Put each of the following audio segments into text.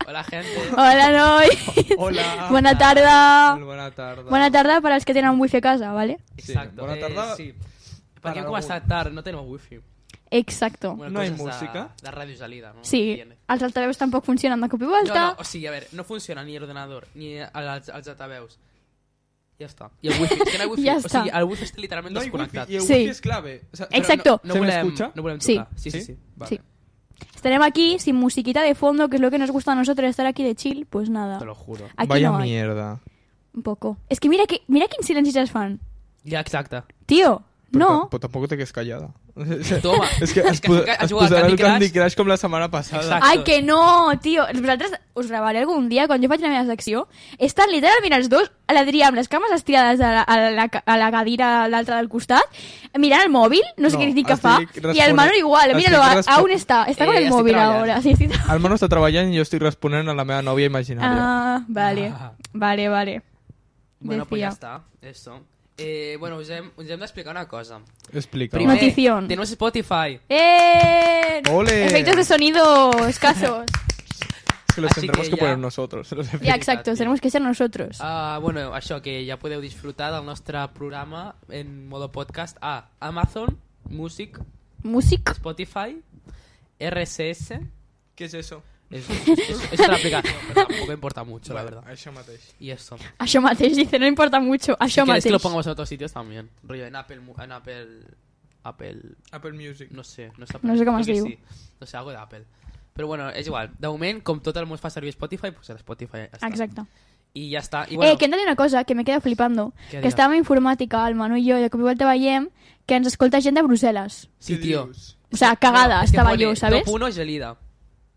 Hola, gente. Hola, noi. Hola. Bona tarda. Bona tarda. Bona tarda per als que tenen wifi a casa, ¿vale? Exacto. Bona tarda. Sí. Para Perquè hem començat algun. tard, no tenim wifi. Exacto. Bueno, No hay coses música. De ràdio salida, ¿no? Sí, Tiene. els altaveus tampoc funcionen de cop i volta. No, o sigui, a veure, no funciona ni l'ordenador ni els altaveus. Ja està. I el wifi, és que no hi ha wifi. Ja o està. sigui, el wifi està literalment No hay desconnectat. wifi y el Sí. wifi es clave. O sea, Exacto. No ¿Se me volem, escucha? no volem Sí. tocar. Sí. Vale. Sí. Estarem aquí sin musiquita de fondo, que es lo que nos gusta a nosotros, estar aquí de chill, pues nada. Te lo juro. Aquí Vaya no hay. mierda. Un poco. Es que mira quins silencis es fan. Ja, exacte. Tío, no. Pero tampoco te quedes callada. Toma. Es que es has jugat posarà Candy el Candy Crush. Crush com la setmana passada. Exacte. Ai, que no, tio. Vosaltres us gravaré algun dia, quan jo faig la meva secció, estan literalment els dos, l'Adrià amb les cames estirades a la cadira l'altra del costat, mirant el mòbil, no sé No, què dir que fa, estic i el responent- Manu igual, míralo, estic a on està? Està con el estic mòbil treballant. ahora. Sí, estic... El Manu està treballant i jo estic responent a la meva nòvia imaginària. Ah, vale, Ah. vale. Bueno, pues ja Decía. està. Eso. Bueno, us hem d'explicar una cosa. Explica. Primer- Notición. Tenemos Spotify. ¡Ole! Efectos de sonido escasos. Es que los Así tendremos que que ya- poner nosotros. los efectos. Ya, exacto, tenemos que ser nosotros. Bueno, això, que ja podeu disfrutar del nostre programa en modo podcast a Amazon Music, Músic. Spotify, RSS. ¿Qué es eso? Es una aplicación, pero tampoco importa mucho, la verdad. Això mateix. Y eso. Això mateix, dice, no importa mucho. Si Això quieres que mateix. lo pongamos en otros sitios también. Rollo en Apple, Apple Music. no sé, no sé Apple. No sé com Crec es que diu. sí. No sé, algo d'Apple. Però bueno, és igual. De moment, com tot el món fa servir Spotify, pues el Spotify ja està. Exacte. I ja està. I bueno, Que hem de dir una cosa que me queda flipando. Què Que dirà? estàvem a informàtica, el Manu i jo, i de cop i volta veiem que ens escolta gent de Brussel·les. sí, ¿Qué tio. dius? O sea, cagada, Es que estaba pone yo, ¿sabes? Top 1 Gelida.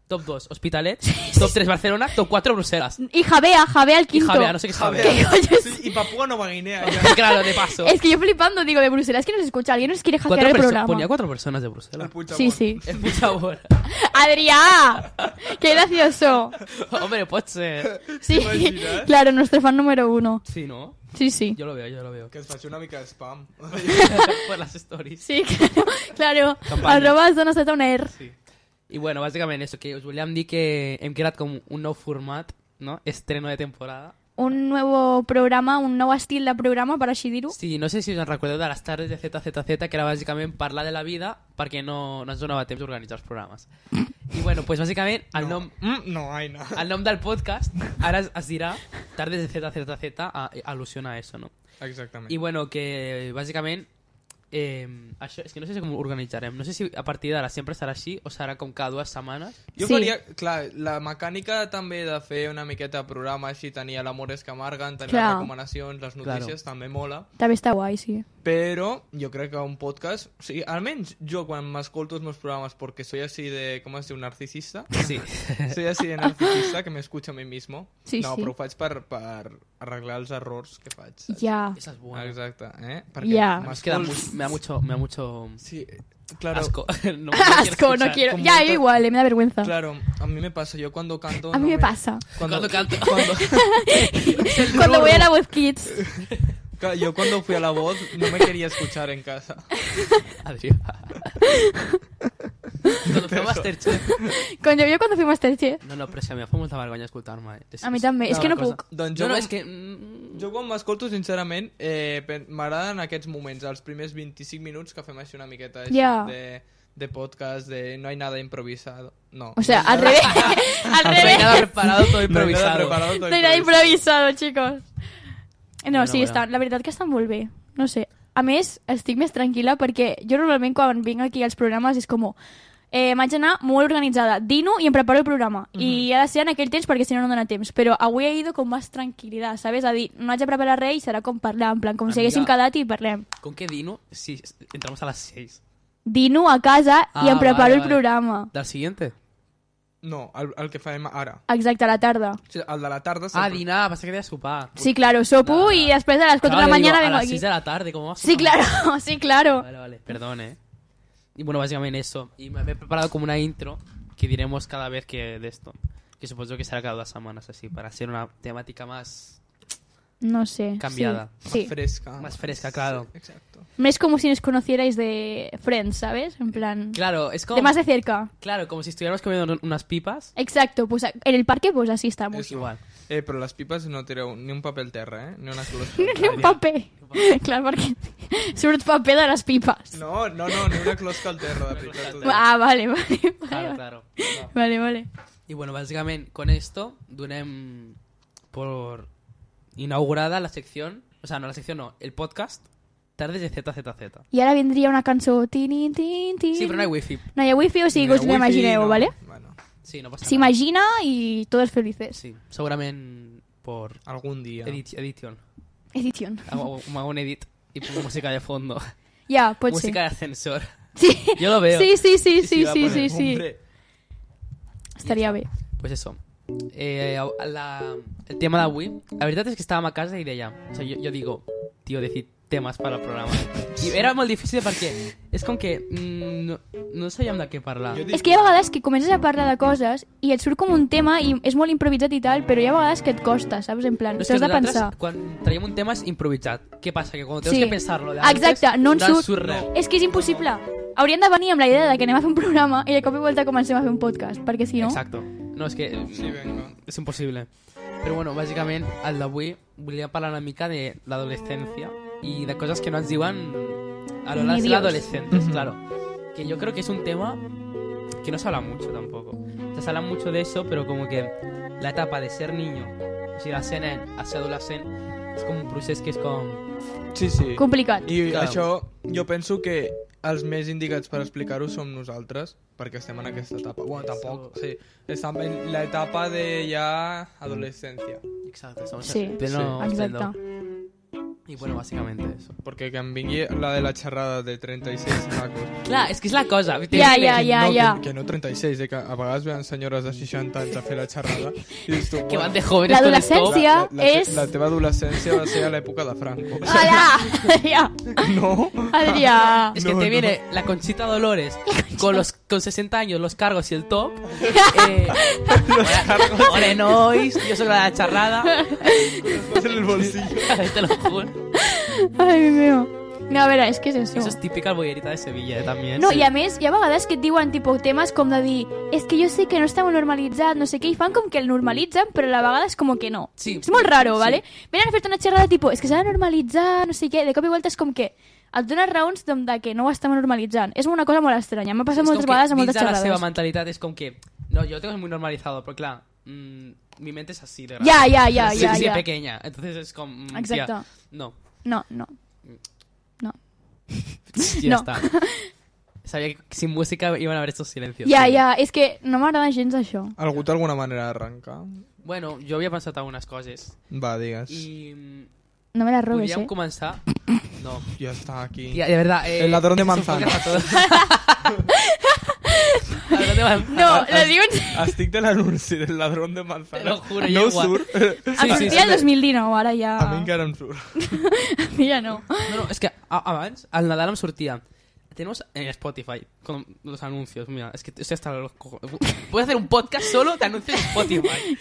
Top 2 Hospitalet. Top 3 Barcelona. Top 4 Bruselas. Y Javea al Y quinto. Javea, no sé qué es Javea. ¿Qué coño es? Sí, y Papúa Nueva Guinea. ya. Claro, de paso. Es que yo flipando, digo, de Bruselas, que nos escucha, alguien nos quiere hackear el programa. Ponía 4 personas de El Bruselas. Puigdemont. Sí, sí. Es mucha hora. ¡Adrià! ¡Qué gracioso! Hombre, pot ser. Sí, imaginas? claro, nuestro fan número 1. Sí, ¿no? Sí, sí. Yo lo veo. Que es faci una mica de spam. Por las stories. Sí, claro. Campanya. Arroba zona Z on air. Sí. I bueno, bàsicament això, que us volíem dir que hem creat com un nou format, no? Estreno de temporada. Un nuevo programa, un nou estil de programa, per així dir-ho. Sí, no sé si us en recordeu de les tardes de ZZZ, que era bàsicament parlar de la vida perquè no ens donava temps d'organitzar els programes. I bueno, pues bàsicament el nom... No, Aina. El nom del podcast ara es dirà Tardes de ZZZ, al·lusiona a eso, no? Exactament. I bueno, que bàsicament això, és que no sé com ho organitzarem. No sé si a partir d'ara sempre serà així o serà com cada 2 setmanes. Jo Sí. faria, clar, la mecànica també de fer una miqueta de programa així, tenir l'Amores que amarguen, tenir Clar. les recomanacions, les notícies, també mola. També està guai, sí. Però jo crec que un podcast... O sigui, almenys jo quan m'escolto els meus programes perquè soy así de... Com es diu? Narcisista? Sí. Soy así de narcisista que me escucho a mí mismo. Sí, no, sí. però ho faig per arreglar els errors que faig. saps? Ja. Esa es buena. Exacte, Ja. Es que m'escolto- me da mucho Sí, claro. asco. No Asco, no escuchar. quiero. con Ya, mucha- yo igual, me da vergüenza. Claro, a mí me pasa. Yo cuando canto... A mí no me pasa. Cuando canto. Cuando voy a la Voz Kids. Claro, yo cuando fui a La Voz no me quería escuchar en casa. Adrià. Cuando fue Masterchef. Cuando fui Masterchef. No, però és que a mi em fa molta vergonya escoltar-me. A mi també, és que no puc. Doncs No, jo, és que... jo quan m'escolto, sincerament, m'agraden aquests moments, els primers 25 minuts que fem així una miqueta així Ja. de podcast, de no hay nada improvisado. No. O sea, al revés. Al No hay revés. nada preparado, todo No hay nada improvisado. preparado, todo No hay nada improvisado, chicos. No, Bueno, sí, bueno. està, la veritat que estan molt bé. No sé. A més, estic més tranquil·la perquè jo normalment quan vinc aquí als programes és com... m'haig d'anar molt organitzada. Dino i em preparo el programa. I ha de ser en aquell temps perquè si no no dona temps. Però avui he ido con más tranquil·litat, ¿sabes? A dir, no haig de preparar res i serà com parlar, en plan, com si Amiga. haguéssim quedat i parlem. ¿Con qué Dino? Si entramos a las 6. Dino a casa i em preparo el programa. ¿Del siguiente? No, el que farem ara. Exacte, a la tarda. O sigui, el de la tarda... Ah, dinar, pasa que de sopar. Sí, claro, sopo y después a las 4 de la mañana a vengo las aquí. 6 de la tarde, ¿cómo vas a Sí, sopar? claro, sí, claro. Vale, perdón, Y bueno, básicamente eso. Y me he preparado como una intro que diremos cada vez que de esto. Que supongo que será cada 2 semanas así, para ser una temática más No sé. cambiada. Sí. Fresca. Más fresca, claro. Sí, exacto. No es como si nos conocierais de Friends, ¿sabes? En plan... Claro, es como... De más de cerca. Claro, como si estuviéramos comiendo unas pipas. Exacto, pues en el parque pues así estamos. Eso. Igual. Però les pipes no tireu ni un paper al terra, Ni una closca. Ni un paper. Clar, perquè surt paper de les pipes. No, ni una closca al terra, de veritat. t'ho dic. Ah, vale. Claro. No. Vale. Y bueno, básicamente con esto donem por inaugurada la sección, o sea, no la sección, no, el podcast Tardes de ZZZ. I ara vindria una cançó... Tin. Sí, però no hi ha wifi. No hi ha wifi, o sigui que us Wifi, l'imagineu, no. ¿vale? Bueno, Sí, no pasa nada. S'imagina i todos felices. Sí, segurament por algun dia. edición. Edición. Hago un edit y pongo música de fondo. Ja, pot Música ser. de ascensor. Sí. Yo lo veo. Sí. va a poner. Hombre, Estaria bé. Pues eso. El tema d'avui, la veritat és que estàvem a casa i deia, o sea, jo digo, tío, decir temes per al programa. I era molt difícil perquè és com que no sabíem de què parlar. jo dic... És que hi ha vegades que comences a parlar de coses i et surt com un tema i és molt improvisat i tal, però hi ha vegades que et costa, saps? En plan, No, és que t'has de nosaltres, pensar. quan traiem un tema és improvisat. Què passa? Que quan tens Sí. que pensar-lo de antes, Exacte, no en surt. res. És que és impossible. Haurien de venir amb la idea de que anem a fer un programa i de cop i volta comencem a fer un podcast, perquè si no... Exacto. No, és que Sí, venga. és impossible. Però bueno, bàsicament, el d'avui volia parlar una mica de l'adolescència y de cosas que no ens diuen a lo largo Ni de Dios. adolescentes, claro. Que yo creo que es un tema que no se habla mucho tampoco. O sea, se habla mucho de eso, pero como que la etapa de ser niño, o sigui, de ser nen a ser adolescent, és com un procés que és com... Sí. Complicat. I Clar. això jo penso que els més indicats per explicar-ho som nosaltres, perquè estem en aquesta etapa. Bueno, tampoc, sí. Estem en l'etapa de ja adolescència. Exacto, estamos Sí, en pleno exacte. esplendor. Y bueno, básicamente eso. Perquè que em vingui la de la xerrada de 36 nacos. Clar, és que és la cosa. Ja. Que no 36, que a vegades venen senyores de 60 anys a fer la xerrada i dius tu, Que bueno, van de jóvenes con el top. L'adolescència és... la teva adolescència va ser a l'època de Franco. Hola, Adrià. No? Adrià. Es que te viene la Conchita Dolores con 60 años, los cargos y el top. Hola, nois, yo soy la charrada. Vas en el bolsillo. Te lo juro. Ai, mi meu. No, a veure, és que és això. Eso es típica bollerita de Sevilla, también. No, sí. i a més, hi ha vegades que et diuen tipus, temes com de dir és que jo sé que no està molt normalitzat, no sé què, i fan com que el normalitzen, però a la vegada és com que no. Sí. És molt raro, Sí. ¿vale? Venen a fer-te una xerrada tipus, és que s'ha de normalitzar, no sé què, de cop i volta és com que et dones raons de que no ho estem normalitzant. És una cosa molt estranya, m'ha passat Es moltes com que vegades a moltes dins de la seva xerrades. mentalitat és com que... No, yo lo tengo muy normalizado, pero claro, mi mente es así de grande. Ja, Sí, ja. pequeña. Entonces es como... Exacte. tía, no. No. Ya No. está. Sabía que sin música iban a haver estos silencios. Ja, és que no m'agrada gens això. Algú té alguna manera d'arrencar? Bueno, jo havia pensat algunes coses. Va, digues. I No me la robes, podríem eh? començar... No. Ja està aquí. Tía, de verdad... El ladrón de es un manzana. podcast a todo. Ladrón de manzana. No, la diuen... Estic de l'anunci del ladrón de manzana. Te lo juro, no jo igual. surt. Em sortia el 2019, ara ja... A mi encara em surt. A mi ja no. No, es que abans, al Nadal em sortia... Tenemos en Spotify con los anuncios. Mira, es que estoy hasta los cojones. Voy a hacer un podcast solo de anuncios en Spotify.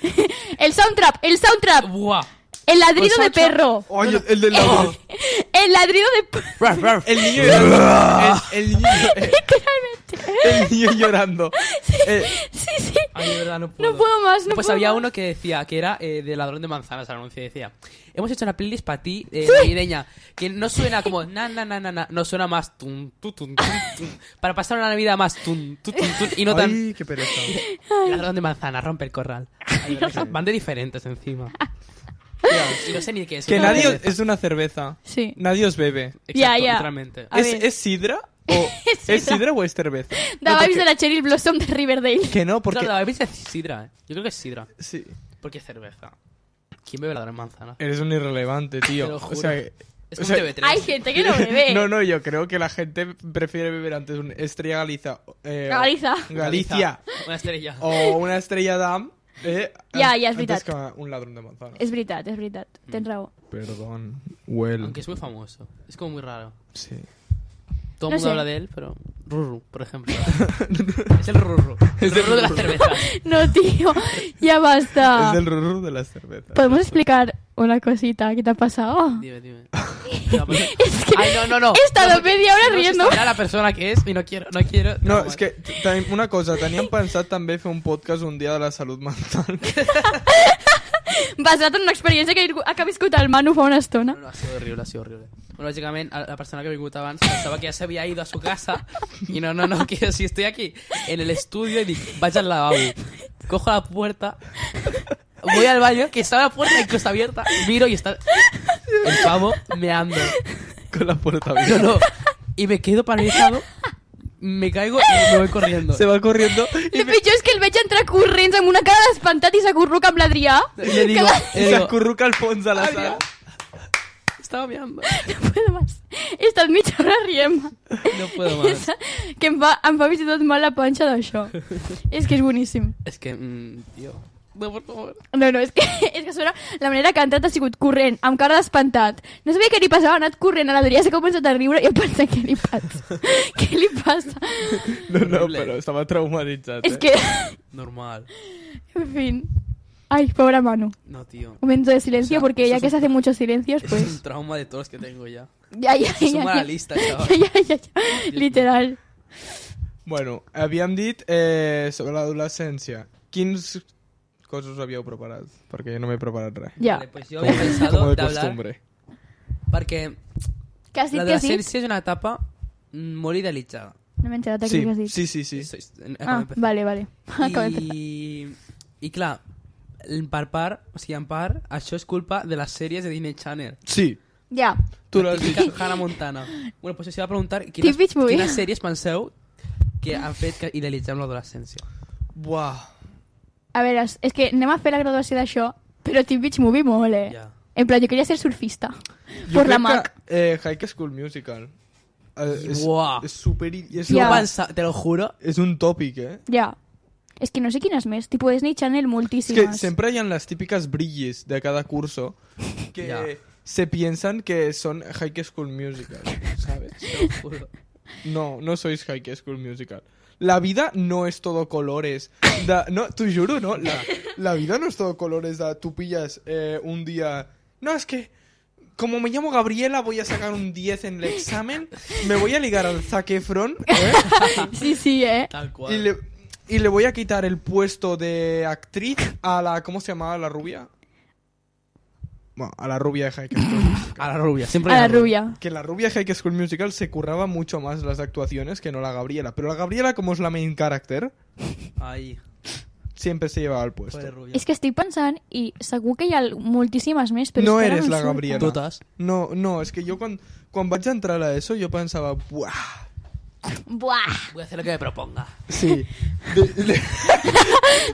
El soundtrap. Buah. El ladrido Los de ocho- perro. Oye, el del ladrón. El ladrido de... Ruff, ruff. El niño llorando. El niño llorando. Sí. Ay, de verdad, no puedo. No puedo más, no Pues puedo había más. uno que decía que era de Ladrón de Manzanas, el anuncio decía: hemos hecho una playlist para ti navideña que no suena como na, no suena más tum, tu, tum, tum, tum, para pasar una Navidad más tum, tu, tum, tum, y no tan Ay, qué pereza. Ladrón de Manzana, rompe el corral. Ay, van de diferentes encima. Y no sé ni qué es. Que una nadie cerveza. es una cerveza. Sí. Nadie os bebe. Exacto, Ya. literalmente. A ver. ¿Es sidra? ¿O ¿Es sidra o es cerveza? De vibes de la Cheryl Blossom de Riverdale. Que no, porque... Claro, a veces es sidra, Yo creo que es sidra. Sí. Porque es cerveza. ¿Quién bebe Ladrón de Manzana? Eres un irrelevante, tío. Te lo O juro. sea, Es o un sea, TV3. Hay gente que no bebe. No, yo creo que la gente prefiere beber antes una Estrella Galiza. Galiza. Galicia. Una estrella. O una Estrella Damm. Ja, és antes veritat. que un ladrón de manzana. És veritat. Tens raó. Perdón. Well. Aunque es muy famoso. Es como muy raro. Sí. Todo No el mundo sé. habla de él, pero... Ruru, por ejemplo. Es el Ruru. El Ruru de las cervezas. No, tío. Ya Es basta. del rurru de las cervezas. ¿Podemos explicar una cosita. ¿Qué te ha pasado? Dime. No, pero... Es que Ay, no. he estado porque media hora si no, riendo. se sabrà la persona que és i no quiero. No, és que una cosa, teníem pensat també fer un podcast un dia de la salut mental. Basat en una experiència que ha viscut el Manu fa una estona. No, ha sido horrible. Bueno, básicamente, la persona que me vingut abans pensaba que ya se había ido a su casa y no, que si estoy aquí en el estudio y digo, vaya al lavabo. Cojo la puerta, voy al baño, que estaba la puerta incluso abierta, miro y está el pavo meando. Con la puerta abierta. No. Y me quedo paralizado, me caigo y me voy corriendo. Se va corriendo El pitjor és que el veig entrar corrents amb una cara d'espantat i s'acurruca amb l'Adrià. Le digo, y se acurruca al fons de la sala. estaba meando. No puedo más. He estat mitja hora rient. No puedo más. Que em fa fins i tot mal la panxa d'això. És que és boníssim. Es que, tío. No, por favor. No, és que sona... La manera que ha entrat ha sigut corrent, amb cara d'espantat. No sabia què li passava, ha anat corrent a l'Adrià, s'ha començat a riure i he pensat, què li passa? Què li passa? No, però estava traumatitzat. És que... Normal. En fin. Ay, pobre Manu. No, tío. Momento de silencio, O sea, porque eso ya es que un- se hacen muchos silencios, Eso es pues... un trauma de todos los que tengo ya. Ya. Suma la lista, chaval. Ya. Literal. Bueno, havíem dit sobre l'adolescència. Quins coses us havíeu preparat? Perquè jo no m'he preparat res. Ya. Vale, pues yo había pensado Como de de hablar costumbre. porque ¿Qué has la dicho que sí? adolescencia es una etapa molt idealitzada. No me he enterado de qué has dicho. Sí. Ah, vale. Acabo de empezar. I clar, en part, això és culpa de les sèries de Disney Channel. Sí, Ya. tu l'has dit. Típica Hannah Montana. Bueno, pues això va preguntar Teen Beach Movie. quines sèries penseu que han fet que idealitzem l'adolescència. Buah. A ver, es que anem a fer la graduació d'això, però Teen Beach Movie mole. Ja. En plan, yo quería ser surfista. Jo Por la crec Mac. que High School Musical Buah. és super... És, Ja. Te lo juro. és un tòpic, Ya. Es que no sé quines més. Tipo Disney Channel És moltíssimes. que sempre hi ha les típiques brillis de cada curso que Ja. se piensan que son High School Musical, ¿sabes? Te lo juro. No sois High School Musical. La vida no es todo colores. No, t'ho juro, no? La vida no es todo colores. Tú pillas un día... No, es que... Como me llamo Gabriela, voy a sacar un 10 en el examen. Me voy a ligar al Zac Efron. Sí, Tal cual. Y le voy a quitar el puesto de actriz a la... ¿Cómo se llamaba la rubia? Bueno, a la rubia de High School Musical. A la rubia, siempre A hay la una rubia. Que la rubia de High School Musical se curraba mucho más las actuaciones que no la Gabriela. Pero la Gabriela, como es la main character, Ai, siempre se llevaba el puesto. pobre rubia. És que estic pensant, i segur que hi ha moltíssimes més, però No és que ara eres em la surt. Gabriela. Totes. No, es que yo cuando vaig entrar a l'ESO yo pensaba, ¡buah! Buah! Voy a hacer lo que me proponga. Sí,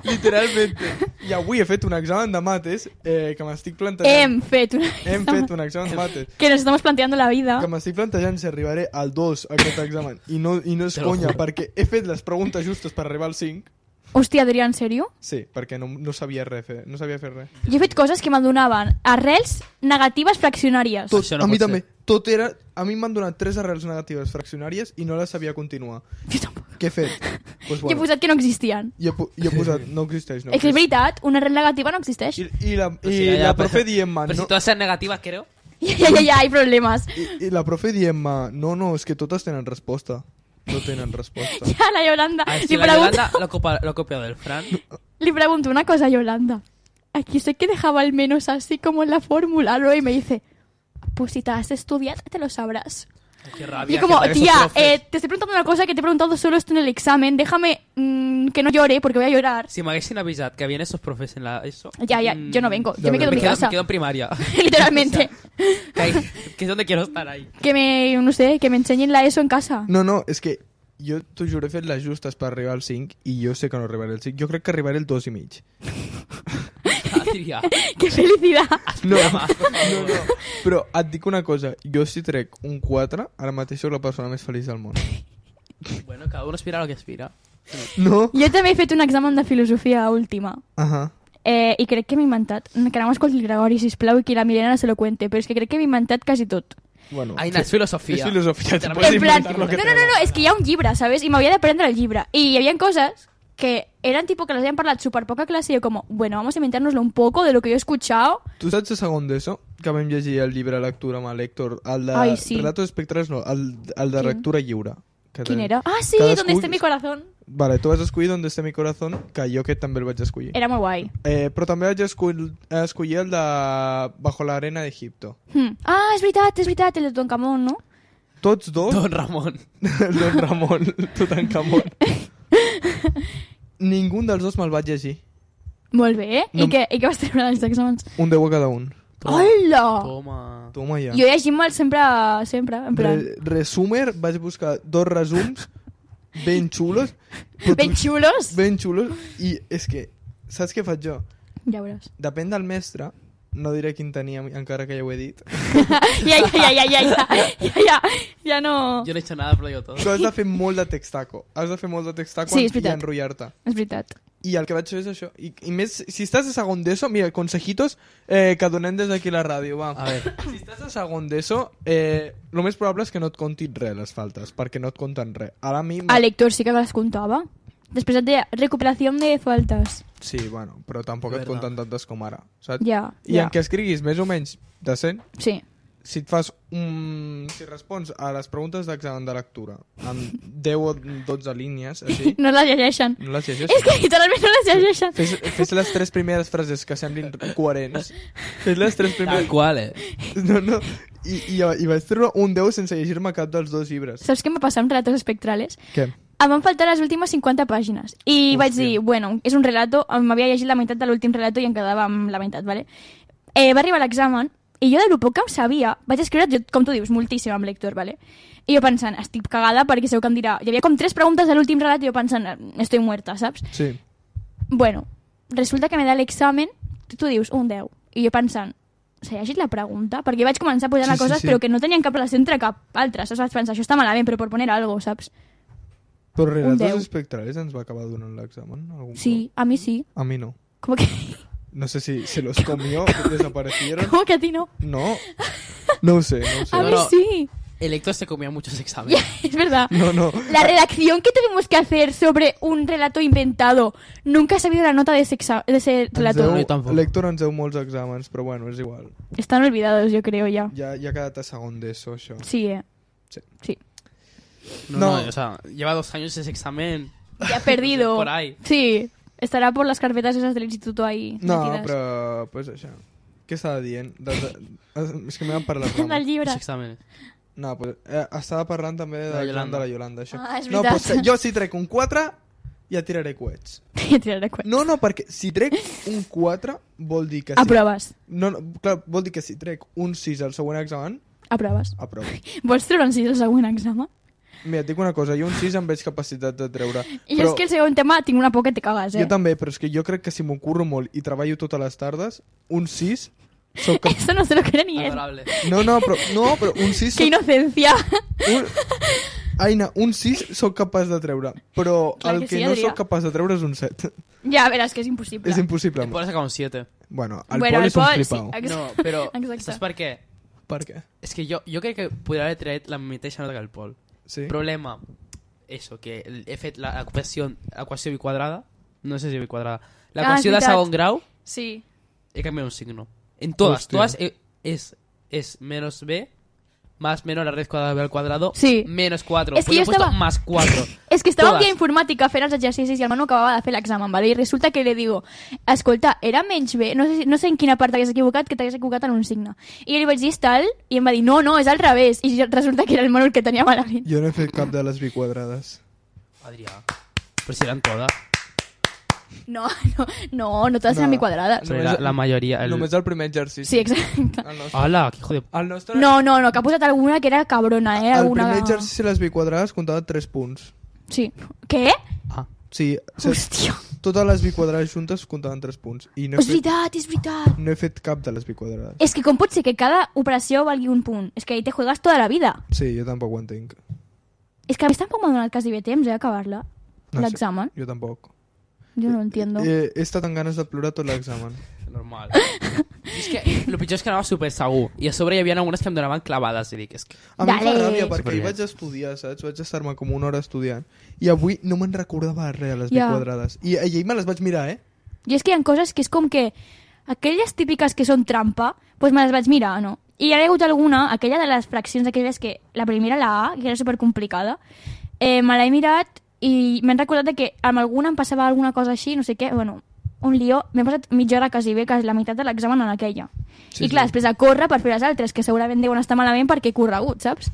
literalmente. I avui he fet un examen de mates que m'estic plantejant... Hem fet una... Hem fet un examen de mates Que nos estamos planteando la vida. que m'estic plantejant si arribaré al 2 a aquest examen i no és Te lo conya juro. perquè he fet les preguntes justes per arribar al 5. Hòstia, Adrià, en sèrio? Sí, perquè no sabia res fer, no sabia fer res. Jo he fet coses que me'n donaven arrels negatives fraccionàries. Tot, Això no a mi pot també. ser. Tot era... A mi m'han donat 3 arrels negatives fraccionàries i no les sabia continuar. Jo tampoc. Què he fet? Pues Jo he posat que no existien. I he posat, no existeix, no És que és veritat, una arrel negativa no existeix. I la ja, profe pero- dient-me... Pero No, si todas sean negativas, creo. Ja, hay problemes. I la profe dient-me... No, és que totes tenen resposta. No tenen resposta. Ja, la Yolanda. A ver, Li si la pregunto, Yolanda lo ha copiado del Fran. le pregunto una cosa a Yolanda. Aquí sé que dejaba al menos así como en la fórmula, ¿no? Y me dice, pues si te has estudiado, te lo sabrás. Qué Y rabia. como, que esos tía, profes. te estoy preguntando una cosa que te he preguntado solo esto en el examen. Déjame que no llore porque voy a llorar. Si me hubiesen avisado que habían esos profes en la ESO... Ya, yo no vengo. Yo me quedo en mi me casa. quedo en primaria. Literalmente. Que es donde quiero estar ahí. Que me, no sé, que me enseñen la ESO en casa. No, és que jo t'ho juro, he fet les justes per arribar al 5 i jo sé que no arribaré al 5. Jo crec que arribaré al 2 i mig. Diria, ¡Qué felicidad! No, però et dic una cosa. Jo si trec un 4, ara mateix soc la persona més feliç del món. bueno, cada uno aspira a lo que aspira. No? Jo també he fet un examen de filosofia última. Ahà. I crec que m'he inventat. Que no m'escolti el Gregori, sisplau, i que la Milena se lo cuente. Però és que crec que m'he inventat quasi tot. Bueno, Ai, no, és filosofia. És filosofia, te En puedes En plan, inventar lo que no, és que hi ha un llibre, ¿sabes? I m'havia d'aprendre el llibre. I hi havia coses que eran tipo que les habían parlat súper poca clase y yo como, bueno, vamos a inventárnoslo un poco de lo que yo he escuchado. Tu saps de segon d'ESO? Que vam llegir el llibre de lectura amb el Héctor. El de Ai, sí. Relatos espectrals no, el de Quin? lectura lliure. Que ¿Quién ten- era? Ah, sí, Cadascú- donde esté mi corazón. Vale, tu vas escollir Donde esté mi corazón, que jo aquest també el vaig escollir. Era muy guay. Però també vaig escollir el de Bajo la arena d'Egipto. Ah, es veritat, el de Toncamón, ¿no? Tots dos... Don Ramon. Don Ramon, Tutankamon. Ningú dels dos me'l vaig llegir. Molt bé, eh? No. I què vas treure dels exàmens? Un 10 a cada un. Hola! Toma. Toma ja. Jo llegint-me'l sempre, en plan... Resumer, vaig buscar 2 resums ben xulos. Ben xulos? Ben xulos. I és que, saps què faig jo? Ja veuràs. Depèn del mestre, no diré quin tenia, encara que ja ho he dit. Ja no... Yo no he hecho nada, pero digo todo. Tu has de fer molt de textaco. Has de fer molt de textaco Sí, és i veritat. enrotllar-te. És veritat. I el que vaig fer és això. I més, si estàs a segon d'ESO, mira, consejitos que donem des d'aquí a la ràdio, va. A ver. Si estàs a segon d'ESO, el més probable és que no et contin res les faltes, perquè no et compten res. Ara a mi... A l'Héctor sí que les comptava. Després et deia, recuperació de faltes. Sí, bueno, però tampoc et Verdad. compten tantes com ara, saps? Ja, I ja. en què escriguis més o menys decent, Sí. si et fas si respons a les preguntes d'examen de lectura amb 10 o 12 línies, així, No les llegeixen. no les llegeixes. És que literalment no les llegeixen. Fes les 3 primeres frases que semblin coherents. Fes les 3 Tal primeres... cual, No. I vaig treure un 10 sense llegir-me cap dels dos llibres. Saps què em va passar amb relatos espectrales? Què? Em van faltar les últimes 50 pàgines. I Hòstia. vaig dir, bueno, és un relato, m'havia llegit la meitat de l'últim relato i em quedava amb la meitat, ¿vale? Va arribar l'examen i jo de lo poc que em sabia, vaig escriure, com tu dius, moltíssim amb l'Héctor, ¿vale? I jo pensant, estic cagada perquè segur que em dirà... Hi havia com 3 preguntes de l'últim relat i jo pensant, estoy muerta, saps? Sí. Bueno, resulta que me da l'examen, tu dius, un 10. I jo pensant, s'ha llegit la pregunta? Perquè vaig començar a posar coses però que no tenien cap relació entre cap altra, saps? Vaig pensar, això està malament, però per poner algo, saps? Però Un 10. relatos espectrales ens va acabar donant l'examen? algun Sí, a mí sí. cop? A mi no. ¿Cómo que, No sé si se los comió, desaparecieron. ¿Cómo que a ti no? No. No ho sé, no ho sé. A mí no. sí. El Héctor se comía muchos exámenes. Es verdad. No. La redacción que tuvimos que hacer sobre un relato inventado. Nunca he sabido la nota de ese relato. No, jo tampoc. L'Héctor ens deu molts exàmens, però bueno, és igual. Están olvidados, yo creo, ya. Ja ha quedat a segon d'ESO, això. Sí, Sí. No, No. o sea, lleva 2 años ese examen. Ya perdido. Por ahí. Sí. Estará por las carpetas esas del instituto ahí. No, metidas. però, pues això. Què estava dient? És que m'he parlat Del rames. llibre. Los exámenes. No, pues, estava parlant també De la de Yolanda. la Yolanda, això. Ah, és no, veritat. pues, jo si trec un 4, ja tiraré coets. Tiraré cuenta. No, perquè si trec un 4 vol dir que sí. Aproves. No, clar, vol dir que si trec un 6 al següent examen, Aproves. aprovo. Vols treure un 6 al següent examen? Mira, et dic una cosa, jo un 6 em veig capacitat de treure. I jo és que el segon tema tinc una por que te cagues, Jo també, però és que jo crec que si m'ho curro molt i treballo totes les tardes, un 6 soc cap... Eso no se lo cree ni él. Adorable. No, però un 6 Qué inocencia. Aina, un 6 sóc capaç de treure, però Clar el que que sí, no Adrià. sóc capaç de treure és un 7. Ya verás que es imposible. És impossible. El Pol ha sacado un 7. Bueno, el Bueno, Pol el és un Pol, flipau. sí. No, pero Exacte. ¿sabes por qué? Per què? Es que yo creo que podría haber traído la mateixa nota que el Pol. Sí? Problema, eso, que he fet l'equació biquadrada, no sé si biquadrada, l'equació de veritat. segon grau, Sí. he cambiado un signo. En todas, Hostia. todas es menos b, más menos la raíz cuadrada de b al cuadrado, Sí. menos 4. Es que Pues yo he puesto estaba- más 4. És que estava un Todas. dia informàtica fent els exercicis i el Manu acabava de fer l'examen, ¿vale? I resulta que li digo, escolta, era menys bé, no sé en quina part t'hagués equivocat, que t'hagués equivocat en un signe. I jo li vaig dir, és tal? I em va dir, no, és al revés. I resulta que era el Manu el que tenia malament. Jo no he fet cap de les biquadrades. Adrià, pero si eran todas. No totes eren No. biquadrades. Pero la mayoría... Només el primer exercici. Sí, exacte. El nostre, ¡Hala! ¡Qué hijo de... el nostre, No, que ha posat alguna que era cabrona, el alguna... primer exercici les biquadrades comptava 3 punts. Sí. Què? Ah, Sí, Hòstia. totes les biquadrades juntes comptaven 3 punts. I no És veritat. no he fet cap de les biquadrades. És que com pot ser que cada operació valgui un punt? És que ahí te juegas toda la vida. Sí, jo tampoc ho entenc. És que a mi tampoc m'ha donat quasi bé temps, acabar-la. No sé, L'examen. Jo tampoc. Jo no lo entiendo. He estat amb ganes de plorar tot l'examen. normal. I és que el pitjor és que anava super segur. I a sobre hi havia algunes que em donaven clavades. I dic, és que... A mi em fa Dale. ràbia perquè ahir Superbé. vaig estudiar, saps? Vaig estar-me com una hora estudiant. I avui no me'n recordava res a les B Ja. quadrades. I ahir me les vaig mirar, I és que hi ha coses que és com que aquelles típiques que són trampa, doncs me les vaig mirar, no? I hi ha hagut alguna, aquella de les fraccions, aquelles que la primera, la A, que era supercomplicada, me l'he mirat i m'he recordat de que amb alguna em passava alguna cosa així, no sé què, bueno, un lío, m'he passat mitja hora quasi bé, que és la meitat de l'examen en aquella. Sí, I clar, sí. després a córrer per fer les altres, que segurament deuen estar malament perquè he corregut, saps?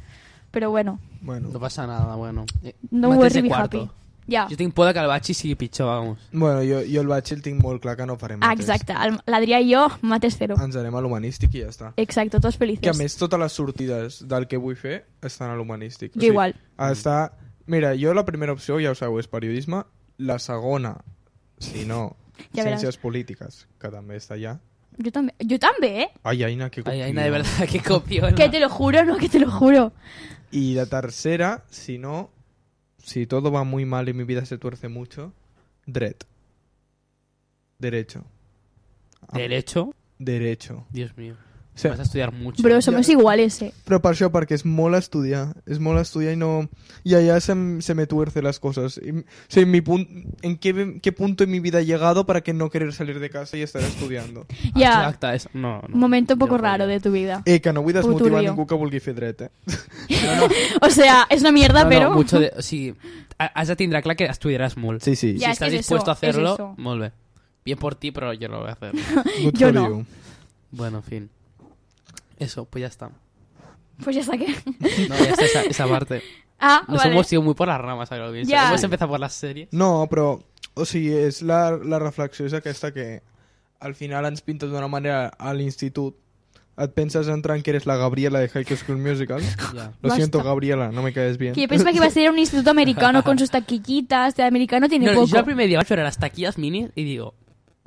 Però bueno, Bueno, No passa nada, bueno. no Mates worry, de be cuarto. happy. Ja, Jo tinc por de que el batxi sigui pitjor, vamos. bueno jo el batxi el tinc molt clar que no farem mates. exacte, l'Adrià i jo, mates zero. Ens anem a l'humanístic i ja està. Exacte, tots felices. Que a més totes les sortides del que vull fer estan a l'humanístic. Jo igual. Està... Mira, jo la primera opció, ja ho sabeu, és periodisme. La segona, si no, Ja veràs. ciències polítiques, que també està allà. Jo també, Ai, Aina, que Ay, copiona. Aina, de verdad, que copiona. Que te lo juro, no, que te lo juro. Y la tercera, si no, si todo va muy mal y mi vida se tuerce mucho, dret. Derecho. ¿Derecho? Derecho. Dios mío. Sí. Vas a estudiar mucho. Bro, somos iguales, Però per això, perquè és molt estudiar i no... Y allá se me tuerce las cosas. O sea, ¿en qué punto en mi vida he llegado para que no querer salir de casa y estar estudiando? Ja, Exacte, és... No, no. un momento un poco Jo raro no. de tu vida. Que no vull desmotivar Turbio. ningú que vulgui fer dret, O sea, es una mierda, No, pero... no, mucho de... O sigui, has de tindre clar que estudiaràs molt. Sí, sí. Ja, si es que estás es dispuesto eso, a hacerlo, es eso. molt bé. Bien por ti, pero yo no lo voy a hacer. Good Jo for no. you. Bueno, en fin. Eso, pues ya está. Pues ya está que... No, ya está esa parte. Ah, Nos vale. hemos ido muy por las ramas, ahora lo pienso. Ya. Hemos empezado por las series. No, però, o sigui, és la reflexió és aquesta que al final ens pinta d'una manera a l'institut. Et penses entrant que eres la Gabriela de High School Musical. Ya. Lo Basta. siento, Gabriela, no me caes bien. Que yo pensaba que iba a ser un instituto americano con sus taquillitas. De americano tiene No, poco. yo el primer día voy a las taquillas mini y digo,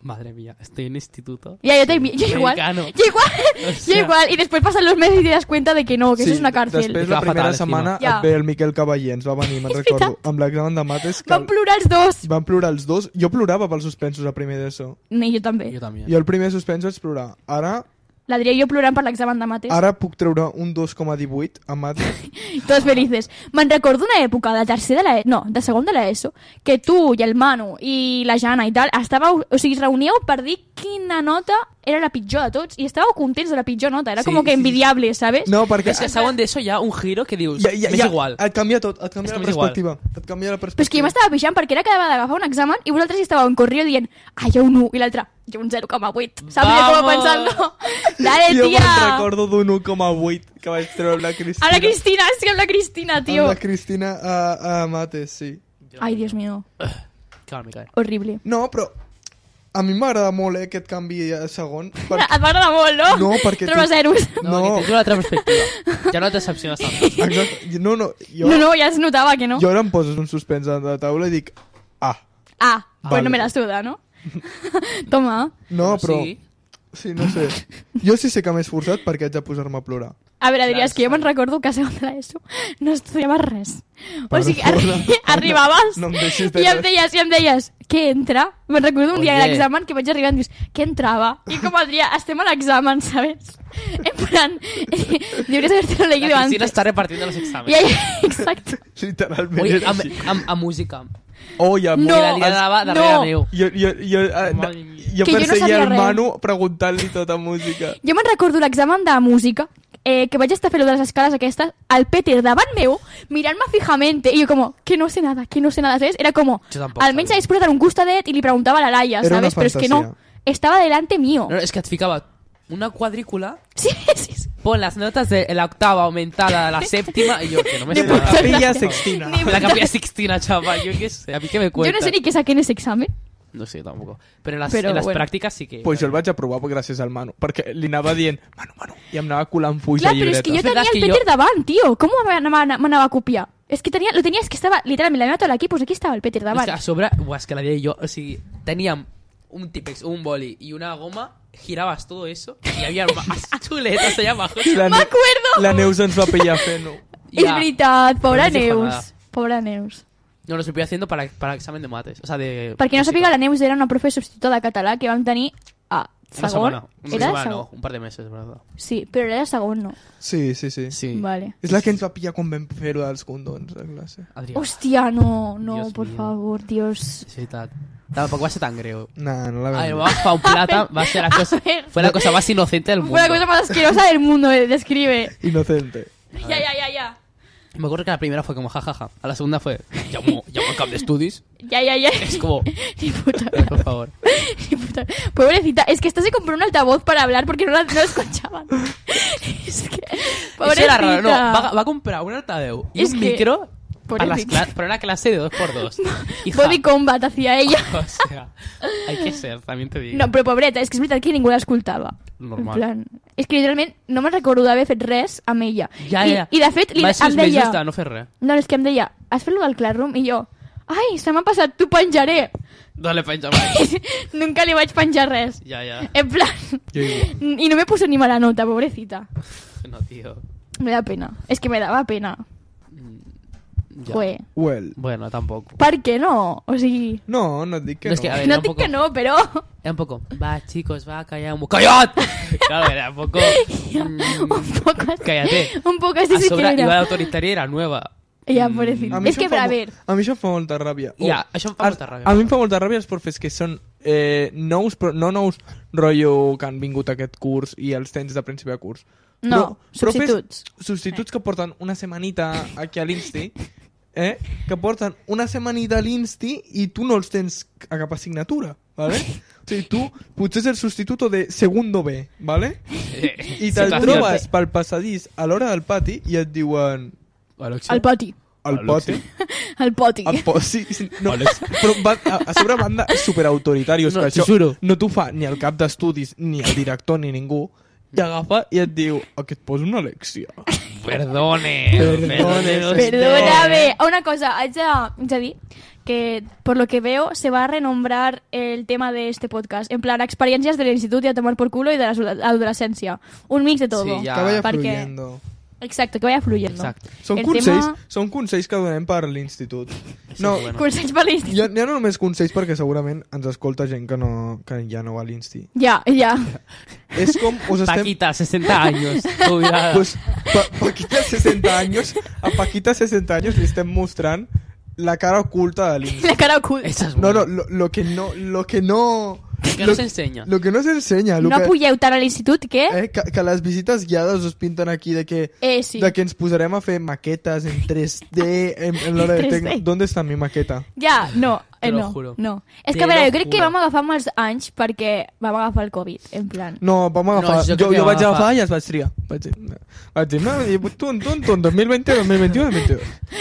madre mía, estoy en instituto. Ya, yo igual. Americano. Yo igual. O sea, Yo igual. Y después pasan los meses y te das cuenta de que no, que eso es una cárcel. Després, Que la va primera fatal, setmana, encima. et ve el Miquel Cavaller, ens va venir, me'n recordo, amb l'examen de mates, que Van plorar els dos. van plorar els dos. Jo plorava pels suspensos a primer d'ESO. Ni yo también. Yo también. Jo el primer suspens vaig plorar. L'Adrià i jo plorant per l'examen de mates. Ara puc treure un 2,18 a mates. Tots felices. Me'n recordo una època de tercer de la no, de segon de l'ESO, que tu i el Manu i la Jana i tal, estàveu, o sigui, es reuníeu per dir quina nota era la pitjor de tots i estàveu contents de la pitjor nota. Era Sí, com que sí, sí. envidiable, ¿sabes? No, perquè... Es que saben de eso ya un giro que dius, m'és igual. Et canvia tot, et canvia És la que m'és igual. perspectiva. Et canvia la Però és que jo perspectiva. m'estava pixant perquè era cada vegada agafar un examen i vosaltres hi estàveu en correo dient jo un 1 i l'altre jo un 0,8. Saps? Jo com Vamos! pensant, dale, Jo tia. me'n recordo d'un 1,8 que vaig treure amb la Cristina. A la Cristina, és que amb la Cristina, Amb tio. la Cristina a mates, sí. Ai, Dios mío. Claro, me cae. Horrible. No, però a mi m'agrada molt aquest canvi a segon. Et va agradar molt, no? No, perquè Troba zeros. No, que tens una altra perspectiva. Ja no et decepciones tant. Exacte. No, jo, No, ja es notava que no. jo ara em poses un suspens a la taula i dic ah. Ah, pues Vale. no me la suda, ¿no? Toma. No, però... Sí. Sí, no sé. Jo sí sé que m'he esforçat perquè haig de posar-me a plorar. A veure, Adrià, és que jo me'n recordo que a segon de l'ESO no estudiava res. O sigui, Perdona. arribaves No em deixis de i em res. deies, què entra? Me'n recordo un dia Oye. de l'examen que vaig arribar i em dius, què entrava? I com, Adrià, estem a l'examen, ¿sabes? En plan, deberías haberte leído La antes. Cristina está repartiendo los exámenes. Ja, exacto. Literalment Oye, era així. a música. Oh, ja, No, I la liada darrere no. meu. Jo Madre mía. Que jo no perseguia sabia el res. Manu preguntant-li tota música. Jo me'n recordo l'examen de música, que vaig estar fent-lo de les escales aquestes, el Peter davant meu, mirant-me fijamente, i jo como, que no sé nada, ¿sabes? Era como, Jo tampoc almenys sabia. hagués posat en un costadet i li preguntava a la Laia, Era una ¿sabes? Pero es que no, fantasía. estaba delante mío. No, es que et ficava una cuadrícula, Sí, sí, sí. pon las notas de la octava aumentada a la séptima y yo, que no me De sé puta nada. madre. Capella Sextina. Ni- La capilla Sixtina, chaval, yo qué sé, a mí que me Yo cuenta. no sé ni qué saqué en ese examen. No sé tampoco. Pero en las, Pero en las bueno. prácticas sí que... Pues jo el vaig aprovar gràcies al Manu, perquè li anava dient Manu, i em anava colant fulls Clar, a però és que jo llibretes. verdad tenia el que Peter jo- davant, tio. Com m'anava a copiar? És que lo tenia, és que estava literalment la meva taula aquí, pues aquí estava el Peter Es davant. que a sobre, buah, es que la di yo, o sea, teníamos un Tipex, un boli y una goma, girabas todo eso y había más chuletas allá abajo. La Ne- M'acuerdo! La Neus ens va pillar fent-ho. És Ya. veritat, pobra No sé si fa Neus. nada. Pobra Neus. No, lo estoy haciendo para examen de mates, o sea, de... Per qui no música. sàpiga, la Neus era una profe substituta de català que vam tenir a Una Segon? setmana. Una Era setmana, segon? no, un par de meses, verdad. Sí, però era segon, no? Sí. Sí. Vale. És la que ens va pillar quan vam fer-ho dels condons a classe. Adrià, Hòstia, no, Dios por mío. favor, Dios. és veritat. Tampoc va ser tan greu. Nah, no la vam Ay, dir. vamos pa un plata, va a ser la cosa, ver. fue la cosa más inocente del mundo. Fue la cosa más asquerosa del mundo, describe. Inocente. Ya. Me acuerdo que la primera fue como jajaja, a la segunda fue llamo al cap de estudis, Ya. es como, Ni puta. por favor. Ni puta. Pobrecita, es que esta se compró un altavoz para hablar porque no la escuchaban. Es que, pobrecita. Eso era raro, no, va a comprar un altaveu y Es un que- micro pobrecita. para una clase de 2x2. Hija, Body combat hacía ella. o sea, hay que ser, también te digo. No, però pobreta, és que és veritat que ningú l'escoltava. Normal. En plan... És que literalment no me'n recordo d'haver fet res amb ella. Ja. I de fet, Va ser em els deia... mesos de no fer res. No, és que em deia, has fet lo del Classroom? I jo, ai, se m'ha passat, t'ho penjaré. No le penja mai. Nunca li vaig penjar res. Ya. En plan... Jo igual. I no me puso ni mala nota, pobrecita. No, tío. Me da pena. És que me daba pena. Ya. Joder. Well. Bueno, tampoco. Per què no? O sigui... No, no et dic que No, és que, a ver, No era un dic poco... que no, però... Era un poco, va, chicos, va, callamos. ¡Callat! Claro, era un poco... Un poc así. Cállate. Un poc así A sí que sobre, iba era. la autoritaria era nueva. Ja, pobrecita. A mi És això que, em fa a mo- ver... A mi això em fa molta ràbia. Ja, això em fa molta ràbia. A mi em fa molta ràbia els profes que són nous, però no nous rotllo que han vingut a aquest curs i els tens de principi de curs. No, substituts. Substituts que porten una setmanita aquí a l'Insti, que porten una setmanita a l'Insti i tu no els tens a cap assignatura, ¿vale? O sigui, tu potser és el substituto de segundo B, ¿vale? I te'l Situació. trobes pel passadís a l'hora del pati i et diuen... Alexia. El poti. El pati. El poti. Sí, no, però a sobre banda superautoritarios, No, que t'ho això juro. no t'ho fa ni el cap d'estudis, ni el director, ni ningú, i agafa i et diu que et posa una lecció. Perdone. Perdóname. Una cosa, haig de dir que por lo que veo se va a renombrar el tema de este podcast. En plan, experiencias del instituto y a tomar por culo y de la adolescencia. Un mix de todo. Sí, ja. Que vaya perquè- fluyendo. Exacto, que vaya fluyendo. Exacte. Són El consells, tema- són consells que donem per l'institut. Eso No, es bueno. Consells per l'institut. ja no només consells perquè segurament ens escolta gent que ja no va a l'insti. Ja. És com us estem... Paquita, 60 años. Jubilada. Pues, Paquita 60 años, a Paquita 60 años li estem mostrant la cara oculta de l'Insti. La cara oculta. Esa es No, buena. no, lo que no... Que no se enseña. Lo que no s'ensenya. No pugeu tant a l'institut que... Que les visites guiades us pinten aquí de que, Sí. de que ens posarem a fer maquetes en 3D en l'hora de 3D. tecno. ¿Dónde está mi maqueta? Ja, no, Te lo no, juro. no. És Te que a veure, lo jo crec que juro. vam agafar molts anys perquè vam agafar el Covid, en plan. No, vam agafar... No, jo crec jo que vam vaig agafar agafar i els vaig triar. Vaig dir, no, i tu, 2020, 2021, 2022.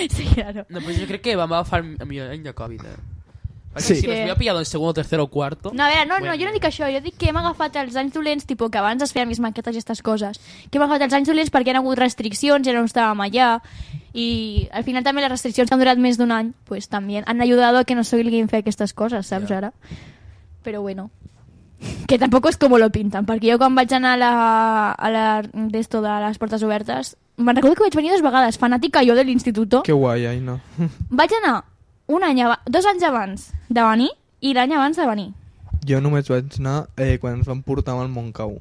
Sí, claro. No, pues yo creo que vamos a agafar el millor any de Covid, Perquè Sí. si nos hubiera pillado en segundo, tercero o cuarto... No, a veure, no, Bueno. jo no dic això, jo dic que hem agafat els anys dolents, tipus que abans es feien més maquetes i aquestes coses, que hem agafat els anys dolents perquè hi ha hagut restriccions, ja no estàvem allà, i al final també les restriccions que han durat més d'un any, pues també han ayudado a que no s'obliguin fer aquestes coses, saps, Ja. ara? Però bueno, que tampoc és com lo pinten, perquè jo quan vaig anar a la d'esto de les portes obertes, me'n recordo que vaig venir 2 vegades, fanàtica jo de l'instituto, Que guai, ai, no. vaig anar 2 anys abans de venir i l'any abans de venir. Jo només vaig anar quan ens van portar al Montcau.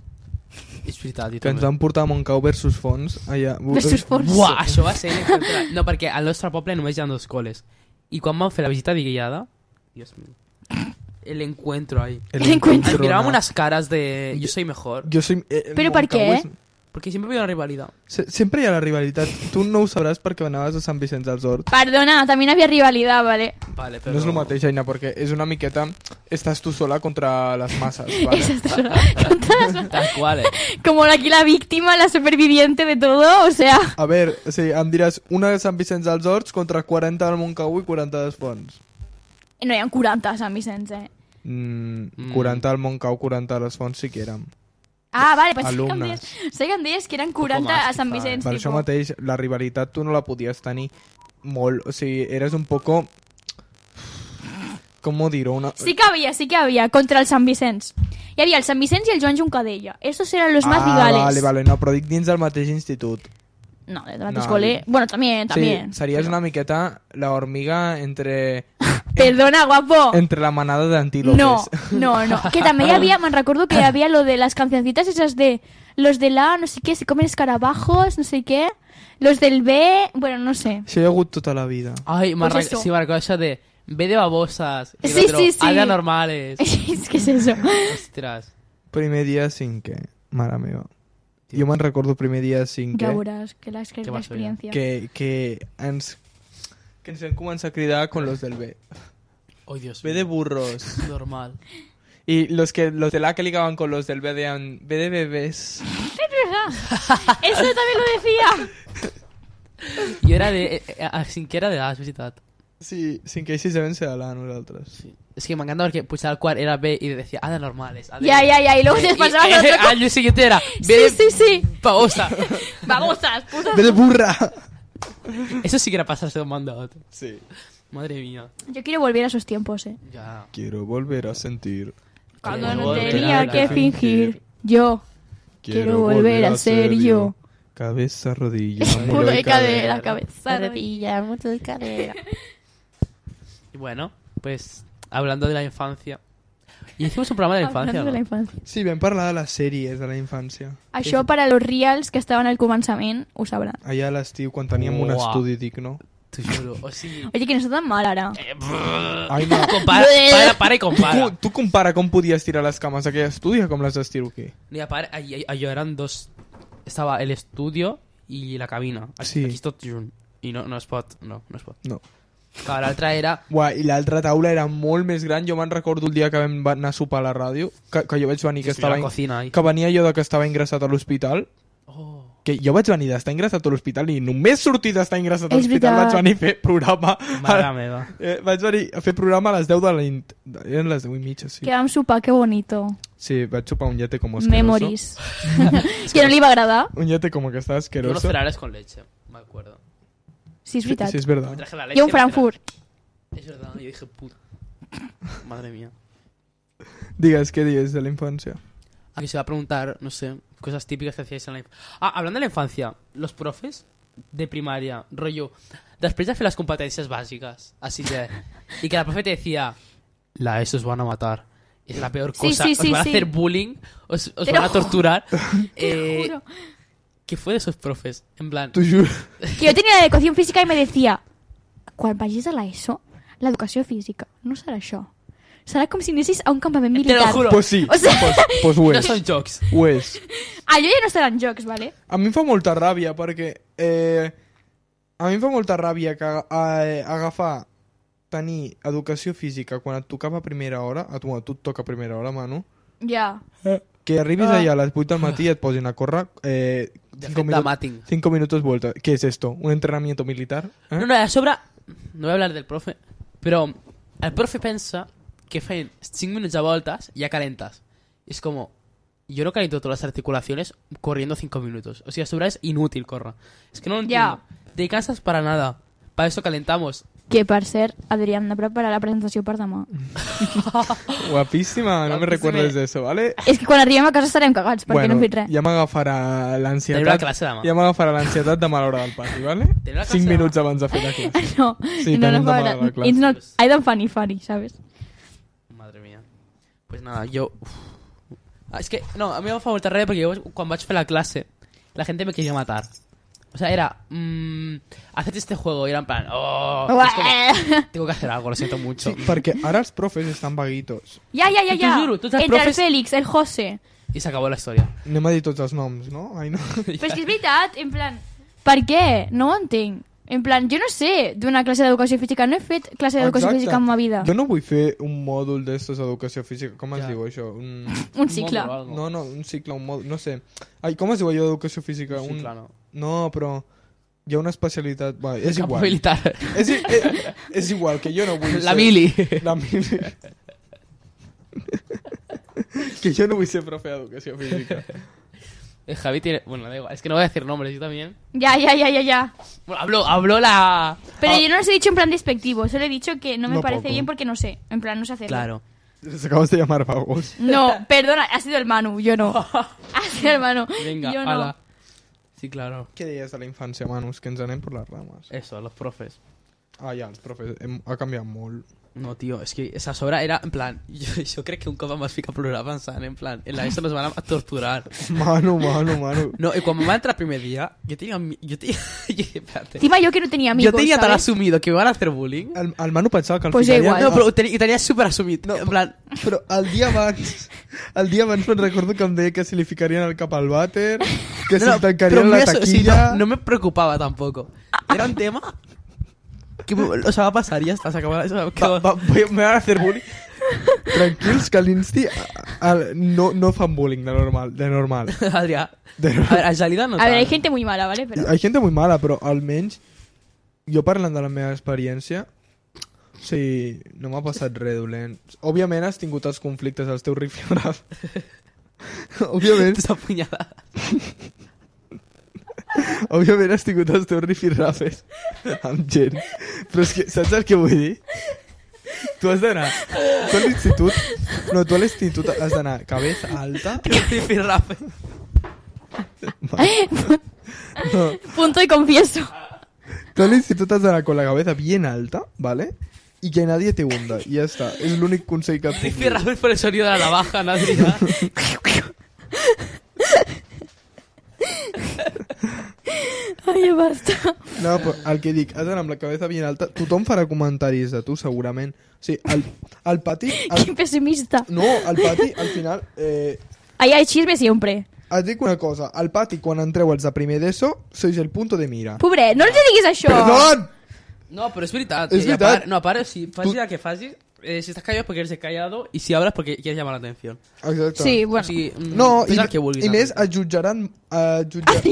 És veritat, i Que ens també. van portar a Montcau versus Fons. Allà. Versus Fons. Buah, això va ser l'encontre... No, perquè al nostre poble només hi ha 2 coles. I quan vam fer la visita de guiada... Dios mío. El encuentro ahí. El encuentro. Ens mirábamos unas caras de... Yo soy mejor. Jo soy, Però per què? Porque siempre había una rivalidad. Sempre hi ha la rivalitat. Tu no ho sabràs perquè anaves a Sant Vicenç dels Horts. Perdona, también había rivalidad, ¿vale? Vale, pero... No és el mateix, Aina, perquè és una miqueta... Estàs tu sola contra les masses, vale? Tal cual, Como aquí la víctima, la superviviente de todo, o sea... A veure, o sigui, em diràs una de Sant Vicenç dels Horts contra 40 del Montcau i 40 dels Fons. No hi ha 40 a Sant Vicenç, 40 al Montcau, 40 a les Fonts sí que érem. Ah, vale, pues Alumnes. sé que em deies que eren 40 más, a Sant quizá. Vicenç, Per això tipo. mateix, la rivalitat tu no la podies tenir molt... O sigui, eres un poco... ¿Cómo dir-ho? Una... Sí que había, contra el Sant Vicenç. Hi havia el Sant Vicenç i el Joan Juncadella. Estos eran los más rivales. Vale, no, però dic dins del mateix institut. No, del mateix No, col·le. Bueno, también. Sí, series una miqueta la hormiga entre Perdona, guapo. Entre la manada d'antílopes. No. Que també hi havia, me'n recordo que hi havia lo de les cancioncitas esas de los de la, no sé qué, se comen escarabajos, no sé qué. Los del B, bueno, no sé. Això hi ha hagut tota la vida. Ay, Pues eso. sí, me recuerdo eso de B de babosas. Y el Sí, otro, sí, sí. A de anormales. És que és eso. Ostras. Primer dia cinquè, mare meva. Jo me'n recordo primer dia cinquè Ja veuràs que Què vas fer? l'experiència. que ens vam començar a cridar con los del B. Oh, Dios B mío. de burros. Normal. Y los de la que ligaban con los del B decían B de bebés. Eso també lo decía. Jo era de... a cinquè era de A, és veritat. Sí, cinquè i sisè vam ser a la nosaltres. Sí. Es que me encanta porque puchar al cuar era B y decía A de normales. A de... Ya, y luego se pasaba al otro. Al día siguiente era B Sí, de sí. babosa. Babosas, putas. B de burra. Eso sí que era pasarse de un mando a otro. Sí. Madre mía. Yo quiero volver a esos tiempos, Ya. Quiero volver a sentir. Cuando Quiero no volver tenía a que fingir. Yo quiero volver a ser yo. Cabeza, rodilla, Mudo y cadera, cadera. cabeza, rodilla, mudo y cadera. Y bueno, pues hablando de la infancia. Y hicimos un programa de la infancia, Hablando de la ¿no? infancia. Sí, vam parlar de les sèries de la infància. Això per a los reals que estaven al començament ho sabran. Allà a l'estiu, quan teníem un Uah. estudi, dic, no? Te juro. O sí. Oye, que no està tan mal ara. Ai, no. Para y compara. Tu compara com podies tirar les cames d'aquell estudi com les estiro aquí. Mira, para, allò eran dos... Estaba el estudio y la cabina. Sí. Aquí és tot junt. I no es pot. No es pot. No. Clar, l'altra era... Uah, i l'altra taula era molt més gran. Jo me'n recordo el dia que vam anar a sopar a la ràdio, que jo vaig venir, que estava... la cocina ahí. Que venia jo de que estava ingressat a l'hospital, Oh. que jo vaig venir d'estar ingressat a l'hospital i només sortir d'estar ingressat a És l'hospital veritat. vaig venir a fer programa. Mare meva. Vaig venir a fer programa a les 10 de la nit. Eren les 10 i mitja, sí. Que vam sopar, que bonito. Sí, vaig sopar un llate com asqueroso. Memories. Que no li va agradar. Un llate como que estaba Yo unos asqueroso. cereales con leche, me acuerdo. Sí, és veritat. Sí, és Me verdad. traje la leche. Jo un me traje- Frankfurt. Es verdad, yo dije, puta. Madre mía. Digues, què dius de la infància? Aquí se va a preguntar, no sé, cosas típicas que hacíais en la infancia. Ah, hablando de la infancia, los profes de primaria, rollo, després de fer las competencias básicas, así de... Y que la profe te decía, la ESO os van a matar. Es la peor Sí, cosa. sí, os sí, van a sí. hacer bullying, os Te van lo a torturar. Te juro. ¿Qué fue de esos profes? En plan... T'ho juro. Que jo tenia educació física i me decía, quan vagis a l'ESO, l'educació física no serà això. Serà com si anessis a un campament Te militar. lo juro. Pues sí, O sea- pues ho No és. son jokes. Ho és. Allò ja no estaran jocs, ¿vale? A mi em fa molta ràbia perquè... a mi em fa molta ràbia que agafar, tenir educació física quan et tocava a primera hora, a tu et toca a primera hora, Manu, Ja. que arribis allà a les 8 del matí i et posin a córrer De fet, de mating. 5 minutos vuelta. ¿Qué es esto? ¿Un entrenamiento militar? ¿Eh? No, a sobre... No voy a hablar del profe, pero el profe pensa que feien 5 minutos de voltas y ya calentas. Y es como... Yo no caliento todas las articulaciones corriendo 5 minutos. O sea, a sobre es inútil correr. Es que no lo entiendo. Te cansas para nada. Para eso calentamos. Que per cert, Adrià, hem de preparar la presentació per demà. Guapíssima, no me recuerdes de eso, ¿vale? És que quan arribem a casa estarem cagats, perquè no hem fet res. ja m'agafarà Tenim la l'ansietat. classe demà. Ja m'agafarà l'ansietat de mal hora del pati, ¿vale? Tenim la classe 5 demà. minuts abans de fer la classe. No, Sí, no, tenim no, demà la classe. it's not, I don't funny, ¿sabes? Madre mía. Pues nada, yo... Es que, no, a mí me fa molta ràbia perquè jo, quan vaig fer la clase, la gente me quería matar. O sea, era... haced este juego. Y era en plan... Oh, es como, tengo que hacer algo, lo siento mucho. Sí, perquè ara els profes estan vaguitos. Ja. T'ho juro, tots els Entre profes- el Fèlix, el José. Y se acabó la historia. Anem a dir tots els noms, no? Ai, no. Però és que és veritat, en plan... Per què? No ho entenc. En plan, jo no sé d'una classe d'educació física. No he fet classe d'educació Exacte. física en ma vida. Jo no vull fer un mòdul d'estos d'educació física. Com es Ja. diu això? Un cicle. Módulo o algo. No, un cicle, un mòdul, no sé. Ai, com es diu allò d'educació física? Un cicle, no. No, però hi ha una especialitat... Va, és Campo igual. militar. És igual, que jo no vull La ser... mili. La mili. Que yo no voy a ser profe de educación física. Javi tiene... Bueno, da igual. Es que no voy a decir nombres, yo también. Ya. Bueno, habló la... Pero yo no los he dicho en plan despectivo. Solo he dicho que no me No parece poco. bien porque no sé. En plan, no sé hacerlo. Claro. Les acabas de llamar vagos. No, perdona, ha sido el Manu, yo no. Ha sido el Manu, Venga, yo no. ala. Sí, claro. ¿Qué días de la infancia, Manus? Que ens anem por las ramas. Eso, los profes. Ah, ja, els profes. Ha canviat molt. No, tio, és que a sobre era, en plan, jo crec que un cop em vaig ficar a plorar pensant, en plan, en la ESO nos van a torturar. Mano. No, i quan va entrar el primer dia, jo tenia... espérate. Encima yo que no tenía amigos, Yo tenía tan ¿sabes? asumido que me van a hacer bullying. El Manu pensava que el Pues ficaria... igual. No, però ho tenia super assumit. No, en plan, Però el dia abans me'n recordo que em deia que si li ficarien el cap al vàter, que si tancarien la taquilla... no me preocupaba tampoco. Era un tema que, o sea, va a pasar y ya está, se acabó. Me van a hacer bullying. Tranquils, que a l'Insti no fan bullying de normal. Adrià, a ver, a Jalida no A ver, hay tant. gente muy mala, ¿vale? Pero... Hay gente muy mala, però almenys jo parlant de la meva experiència, o sigui, no m'ha passat res dolent. Òbviament has tingut els conflictes als teus rifirraf. Òbviament, Esta puñalada. òbviament has tingut els teus rifirrafes amb gent. Però és que, saps el que vull dir? Tu has d'anar... Tu a l'institut... No, tu a l'institut has d'anar cabeza alta... Rifirrafe. No, Punto y confieso. tú al instituto has de dar con la cabeza bien alta, ¿vale? Y que nadie te hunda. Y ya está. Es el único consejo que puc dir. Rifirrafe por el sonido de la navaja, ¿no, Adrià? Ay, ya basta. No, però el que dic, has d'anar amb la cabeza bien alta. Tothom farà comentaris de tu, segurament. O sigui, al pati... Qué pesimista. No, al pati, al final... Ahí hay chisme siempre. Et dic una cosa. Al pati, quan entreu els de primer d'ESO, sois el punto de mira. Pobre, no els diguis això. Perdón! No, però és veritat. És veritat. No, a part, si facis el que facis, si estàs callat perquè eres callado i si hablas perquè quieres llamar la atención. Exacte. Sí, O bueno. sigui, No, fes el que vulguis. i més, et jutjaran...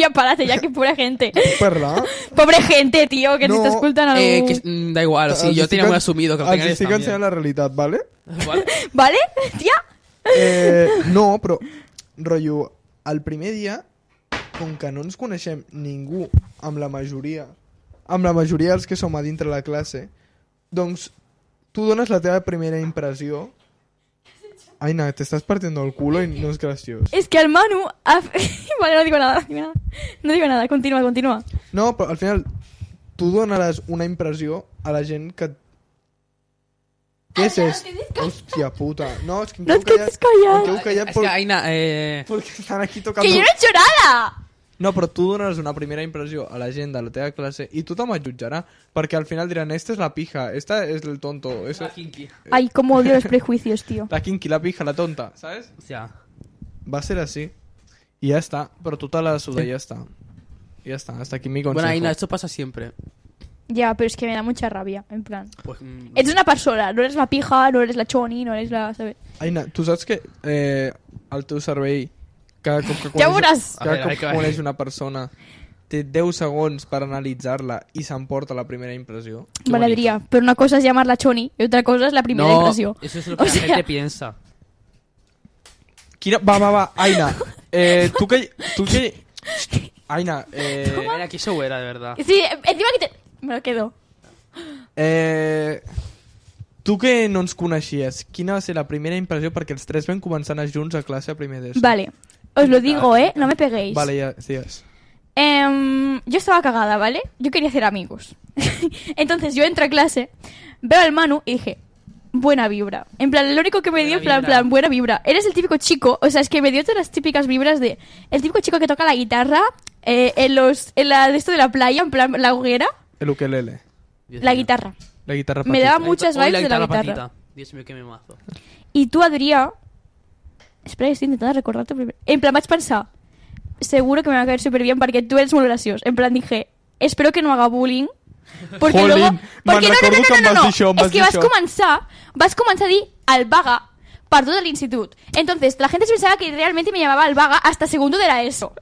Ya párate, ya que pobre gente. Parlar. Pobre gente, tío, que No, te está escoltant algú. Da igual, o sigui, jo tenia muy asumido que el Els tengaries estic també. ensenyant la realitat, ¿vale? Vale? ¿Vale, tía? No, però, rotllo, el primer dia, com que no ens coneixem ningú amb la majoria dels que som a dintre la classe, doncs tu dones la teva primera impressió. Aina, te estás partiendo el culo y no es gracioso. Es que al Manu... Vale, no digo nada. No digo nada, continúa. No, però al final tu donaràs una impressió a la gent que... Què és esto? Hòstia puta. No, és que No et quedes callat. Em quedo callat És que, Aina, porque están aquí tocando... Que yo no he hecho nada. No, però tu donaràs una primera impressió a la gent de la teva classe i tothom et jutjarà, perquè al final diran, esta es la pija, esta es el tonto, esta... La kinky. Ay, cómo odio los prejuicios, tío. La kinky, la pija, la tonta, ¿sabes? Hòstia. Va a ser así. Y ya está, pero tú te la suda y ya está. Ya está, hasta aquí mi consejo. Bueno, Aina, esto pasa siempre. Ya, pero es que me da mucha rabia, en plan. Pues, Eres una persona, no eres la pija, no eres la choni, no eres la... ¿sabes? Aina, tu saps que el teu cervell, cada cop que Ja veuràs. cada A cop veure, que a veure. coneix una persona té 10 segons per analitzar-la i s'emporta la primera impressió? Qué Vale, bonito. Adrià, pero una cosa es llamarla choni y otra cosa es la primera no, impresión. eso es lo que O la sea- gente piensa. Va, Aina, tu que... Aina, Aina, que show era, de verdad. Sí, encima que te... Me lo quedo. tu que no ens coneixies, quina va ser la primera impressió? Perquè els tres vam començar a anar junts a classe a primer d'ESO. Vale, os lo digo, no me peguéis. Vale, ya, digues. Yo estaba cagada, ¿vale? Yo quería hacer amigos. Entonces yo entro a clase, veo al Manu y dije, buena vibra. En plan, lo único que me dio, en Buena plan, vibra. buena vibra. Eres el típico chico, o sea, es que me dio todas las típicas vibras de... El típico chico que toca la guitarra en de esto de la playa, en plan, la hoguera, El ukelele, Dios la mío. guitarra. la guitarra Me patita. daba muchas Hoy vibes de la guitarra. patita. Dios mío, qué me mazo. Y tú, Adrià... Espera, que estoy intentando recordarte primero. En plan, vaig pensar, seguro que me va a caer súper bien porque tú eres muy gracioso. En plan, dije, espero que no haga bullying. Porque Jolín, luego... me'n Porque recordo que em vas dir això, em Es vas que dir vas això. començar a dir al vaga per tot l'institut. Entonces, la gente se pensaba que realmente me llamaba al vaga hasta segundo de la ESO.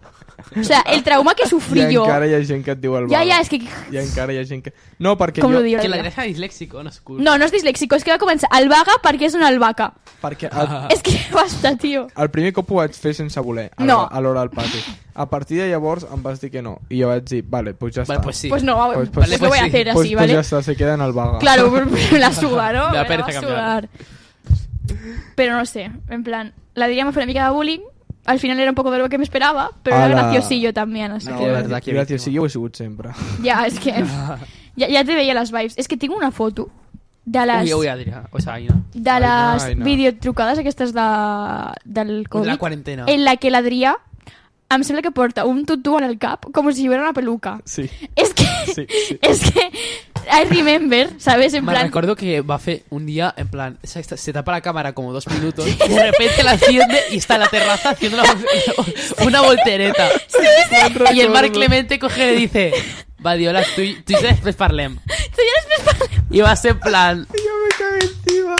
O sea, el trauma que sufrí I yo... encara hi ha gent que et diu el Ya, vaga. ya, es que... I encara hi ha gent que... No, perquè Com jo... lo digo? Que la deja disléxico, no es cool. No, no és disléxico, és que va començar al vaga perquè és una albaca. Perquè És que basta, tio. el primer cop ho vaig fer sense voler, No. a l'hora del pati. A partir de llavors em vas dir que no. I jo vaig dir, vale, pues ya Vale, está. pues sí. Pues no, Pues- pues, pues lo voy a sí. hacer Pues, así, pues ¿vale? ya está, se queda en el vaga. Claro, me la suda, ¿no? Me da Me pereza va a cambiar. sudar. Pero no sé, en plan, la diría me fue una mica de bullying. Al final era un poco de lo que me esperaba, pero era Ala. graciosillo también, así No, que... de verdad, que gràcies, víctima. sí, jo ho he sigut sempre. Ya, es que... Ja te veia les vibes. És que tinc una foto de les... Uy, Adrià. O sea, Aina. de les Aina. videotrucades aquestes del Covid, La cuarentena. en la que l'Adrià em sembla que porta un tutú en el cap com si fuera una peluca. Sí. És que... Sí. És que... I remember, ¿sabes? En Me plan... recuerdo que Bafe un día, en plan, se tapa la cámara como 2 minutos y de repente la enciende y está en la terraza haciendo una voltereta. Y el Marc Clemente coge y le dice, Badiola, tú i després parlem. Y vas en plan... Yo me cagué encima.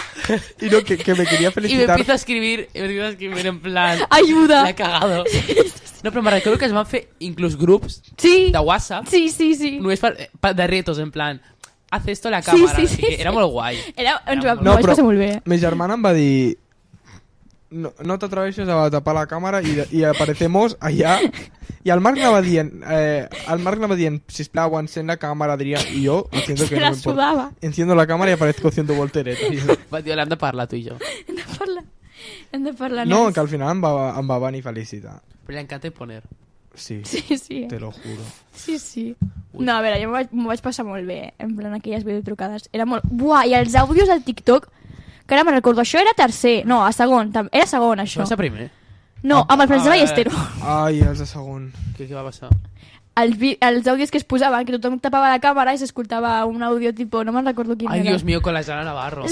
Y no, que me quería Y me felicitar. empieza a escribir en plan... Ayuda. La he cagado. No, però me recordo que es van fer inclús grups Sí. de WhatsApp Sí. només de retos, en plan, haz esto a la cámara. Sí, no sé sí, què. sí. Era molt guai. Ens Era ho No, vaig però passar molt bé. mi germana em va dir... No t'atreveixes a tapar la cámara y aparecemos allá. Y al Marc anava dient, sisplau, encén la cámara, Adrià. Y yo, haciendo Se que la no me importa, sudava. enciendo la cámara y aparezco haciendo voltereta. Y yo, Va, tio, l'hem de parlar, tu i jo. Hem de parlar no, més. que al final em va venir felicitar. Però li encanta poner. Sí, Sí. te lo juro. Sí. No, a veure, jo m'ho vaig passar molt bé, en plan, aquelles videotrucades. Era molt... Buah, i els àudios al TikTok, que ara me'n recordo, això era tercer, no, a segon, era segon, Això això. va ser primer. No, amb el Francesc Ballestero. Ai, els de segon. Què va passar? Els àudios que es posaven, que tothom tapava la càmera i s'escoltava un àudio tipo, no me'n recordo quin Ai, era. Dios mío, con la Jana Navarro.